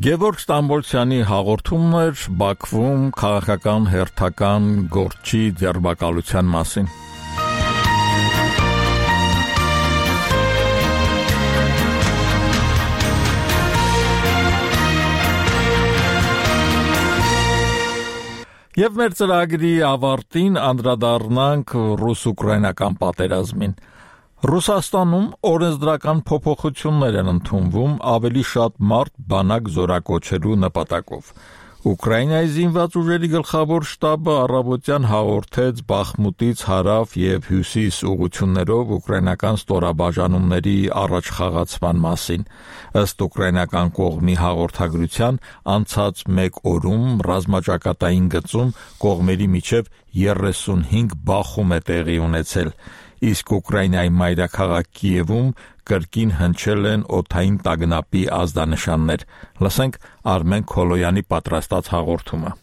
Գևորգ Ստամբոլցյանի հաղորդումն էր Բաքվում քաղաքական հերթական գործի ձերբակալության մասին։ Եվ մեր ծրագրի ավարտին անդրադառնանք ռուս-ուկրաինական պատերազմին։ Ռուսաստանում օրենսդրական փոփոխություններ են ընդունվում ավելի շատ մարդ բանակ զորակոչելու նպատակով։ Ուկրաինայի զինված ուժերի գլխավոր շտաբը առավոտյան հաղորդեց Բախմուտից հարավ եւ հյուսիս ուղություններով ուկրաինական ստորաբաժանումների առաջխաղացման մասին։ Ըստ ուկրաինական կողմի հաղորդագրության, անցած մեկ օրում ռազմաճակատային գծում կողմերի միջև երեսունհինգ բախում է տեղի ունեցել։ իսկ Ուկրաինայի մայրաքաղաք Կիևում կրկին հնչել են օդային տագնապի ազդանշաններ։ Լսենք Արմեն Քոլոյանի պատրաստած հաղորդումը։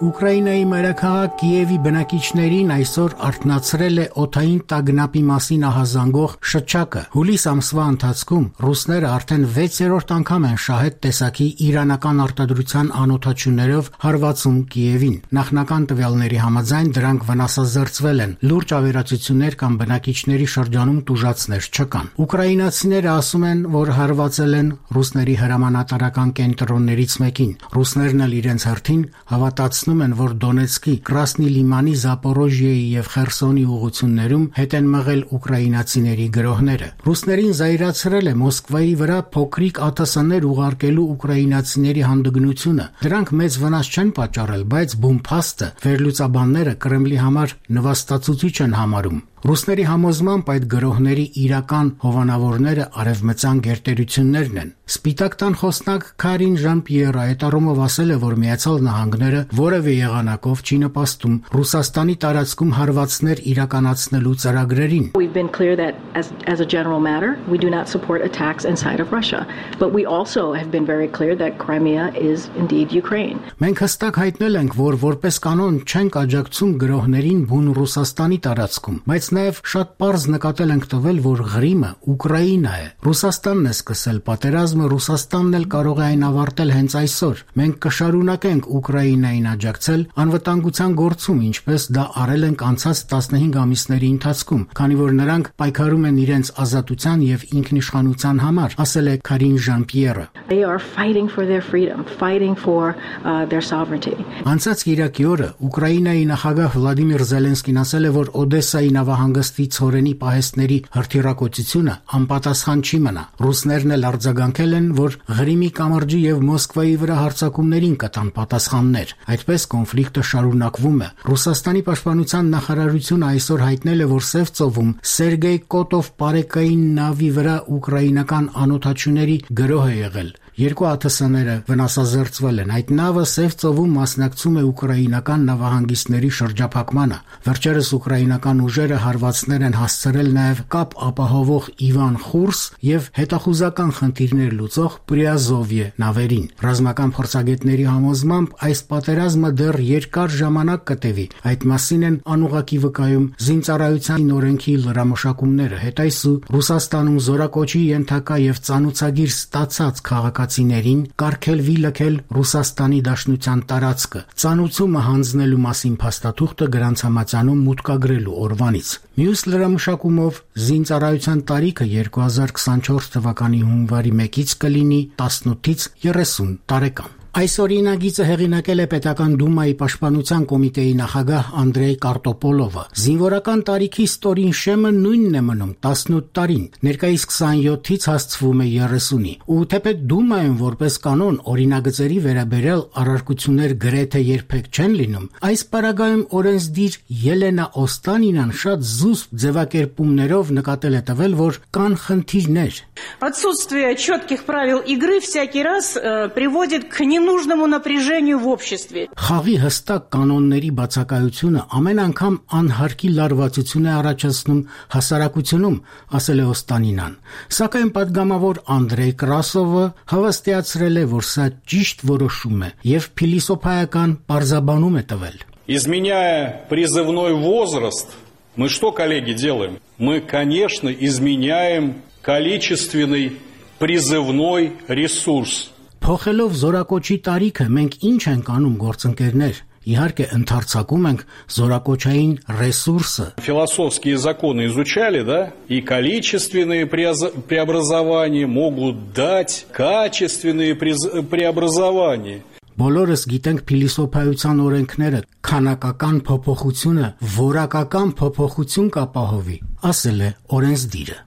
Ուկրաինայի մայրաքաղաք Կիևի բնակիչներին այսօր արթնացրել է օդային տագնապի մասին ահազանգող շչակը։ Հուլիս ամսվա ընթացքում ռուսները արդեն վեցերորդ անգամ են շահետ տեսակի իրանական արտադրության անօդաչուներով հարվածում Կիևին։ Նախնական տվյալների համաձայն դրանք վնասազերծվել են, լուրջ ավերածություններ կամ բնակիչների շրջանում տուժածներ չկան։ Ուկրաինացիները ասում են, որ հարվածել են ռուսների հրամանատարական կենտրոններից մեկին։ Ռուսներն էլ իրենց հերթին հավատացնում են, որ Դոնեցկի, Կրասնի Լիմանի, Զապորոժիեի եւ Խերսոնի ուղություններում հետ են մղել ուկրաինացիների գրոհները։ Ռուսներին զայրացրել է Մոսկվայի վրա փոքրիկ ԱԹՍ-ներ ուղարկելու ուկրաինացիների հանդգնությունը։ Դրանք մեծ վնաս չեն պատճառել, բայց բումփաստը վերլուծաբանները Կրեմլի համար նվաստացուցիչ են համարում։ Ռուսների համոզմամբ այդ գրոհների իրական հովանավորները արևմտյան գերտերություններն են։ Սպիտակ տան խոսնակ Կարին Ժան-Պիերը այդ առումով ասել է, որ Միացյալ Նահանգները որևէ եղանակով չի նպաստում Ռուսաստանի տարածքում հարվածներ իրականացնելու ծրագրերին։ We've been clear that as as a general matter, we do not support attacks inside of Russia, but we also have been very clear that Crimea is indeed Ukraine. Մենք հստակ հայտնել ենք, որ որպես կանոն չենք աջակցում գրոհներին բուն Ռուսաստանի տարածքում, բայց նաև շատ պարզ նկատել ենք տվել, որ Ղրիմը Ուկրաինա է։ Ռուսաստանն է սկսել պատերազմը, Ռուսաստանն էլ կարող է այն ավարտել հենց այսօր։ Մենք կշարունակենք Ուկրաինային աջակցել անվտանգության գործում, ինչպես դա արել ենք անցած տասնհինգ ամիսների ընթացքում, քանի որ նրանք պայքարում են իրենց ազատության եւ ինքնիշխանության համար, ասել է Կարին Ժան-Պիերը։ They are fighting for their freedom, fighting for uh, their sovereignty. Անցած Կիրակի օրը Ուկրաինայի նախագահ Վլադիմիր Զելենսկին ասել է, որ Օդեսայի նավահանգստի ցորենի պահեստների հրթիռակոծությունը անպատասխան չի մնա։ Ռուսներն էլ արձագանքել են, որ Ղրիմի կամրջի եւ Մոսկվայի վրա հարձակումներին կտան պատասխաններ։ Այդպես կոնֆլիկտը շարունակվում է։ Ռուսաստանի պաշտպանության նախարարությունը այսօր հայտնել է, որ Սև ծովում Սերգեյ Կոտով պարեկային նավի վրա ուկրաինական անօդաչուների գրոհ է եղել։ Երկու ԱԹՍ-ները վնասազերծվել են։ Այդ նավը Սև ծովում մասնակցում է ուկրաինական նավահանգիստների շրջափակմանը։ Վերջերս ուկրաինական ուժերը հարվածներ են հասցրել նաև կապ ապահովող Իվան Խուրս եւ հետախուզական խնդիրներ լուծող Պրիազովյե նավերին։ Ռազմական փորձագետների համոզմամբ այս պատերազմը դեռ երկար ժամանակ կտևի։ Այդ մասին են անուղակի վկայում զինծառայության օրենքի լրամշակումները։ Հետայսու Ռուսաստանում զորակոչի ենթակա եւ ծանուցագիր ստացած քաղաքացիներին կարգելվի լքել Ռուսաստանի Դաշնության տարածքը։ Ծանուցումը հանձնելու մասին փաստաթուղթը գրանցամատյանում մուտքագրելու օրվանից։ Մյուս լրամշակումով զինծառայության տարիքը երկու հազար քսանչորս թվականի հունվարի մեկից կլինի տասնութից երեսուն տարեկան։ Այս օրինագիծը հեղինակել է Պետական Դումայի Պաշտպանության կոմիտեի նախագահ Անդրեյ Կարտոպոլովը։ Զինվորական տարիքի ստորին շեմը նույնն է մնում տասնութ տարին, ներկայիս քսանյոթից հասցվում է երեսունի։ Ու թեպետ Դումայում որպես կանոն օրինագծերի վերաբերյալ առարկություններ գրեթե երբեք չեն լինում, այս պարագայում օրենսդիր Ելենա Օստանինան շատ զուսպ ձևակերպումներով նկատել է տվել, որ կան խնդիրներ։ Отсутствие четких правил игры всякий раз э, приводит к ненужному напряжению в обществе. Խաղի հստակ կանոնների բացակայությունը ամեն անգամ անհարկի լարվածություն է առաջացնում հասարակությունում, ասել է Օստանինան։ Սակայն падգամավոր Անդրեյ Կրասովը հավաստիացրել է, որ սա ճիշտ որոշում է եւ փիլիսոփայական պարզաբանում է տվել։ Изменяя призывной возраст, мы что, коллеги, делаем? Мы, конечно, изменяем количественный призывной ресурс. Փոխելով զորակոչի տարիքը մենք ինչ ենք անում գործընկերներ։ Իհարկե ընդարձակում ենք զորակոչային ռեսուրսը։ Философские законы изучали, да? И количественные преобразования могут дать качественные преобразования. Բոլորս գիտենք փիլիսոփայության օրենքները, քանակական փոփոխությունը որակական փոփոխություն կապահովի, ասել է օրենսդիրը։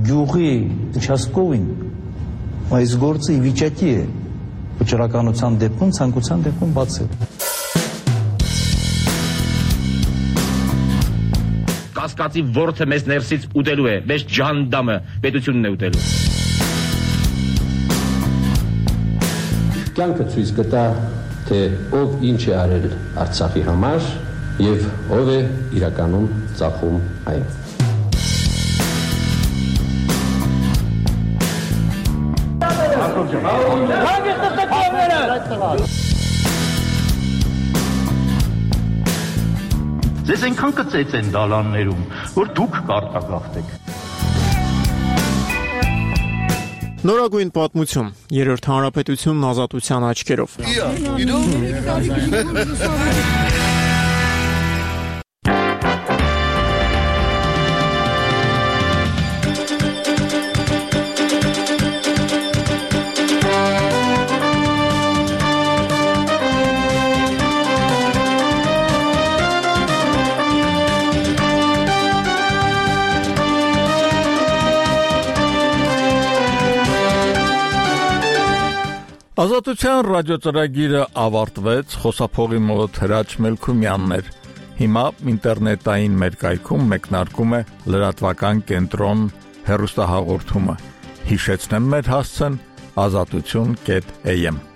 Գյուղի участковին այս գործը ի վիճակի է վճռականության դեպքում, ցանկության դեպքում բացել։ Կասկածի ворթը մեզ ներսից ուտելու է, մեզ ջանդամը պետությունն է ուտելու։ կյանքը ցույց կտա, թե ով ինչ է արել Արցախի համար եւ ով է իրականում ծախում այն։ Ձեզ այնքան կծեց են դալաններում, որ դուք կարտագաղթեք։ Նորագույն պատմություն, երրորդ հանրապետությունն ազատության աչքերով։ Ազատության ռադիոծրագիրը ավարտվեց, խոսափողի մոտ Հրաչ Մելքումյանն էր։ Հիմա ինտերնետային մեր կայքում մեկնարկում է լրատվական կենտրոն հեռուստահաղորդումը։ Հիշեցնեմ մեր հասցեն ազատություն կետ էյ էմ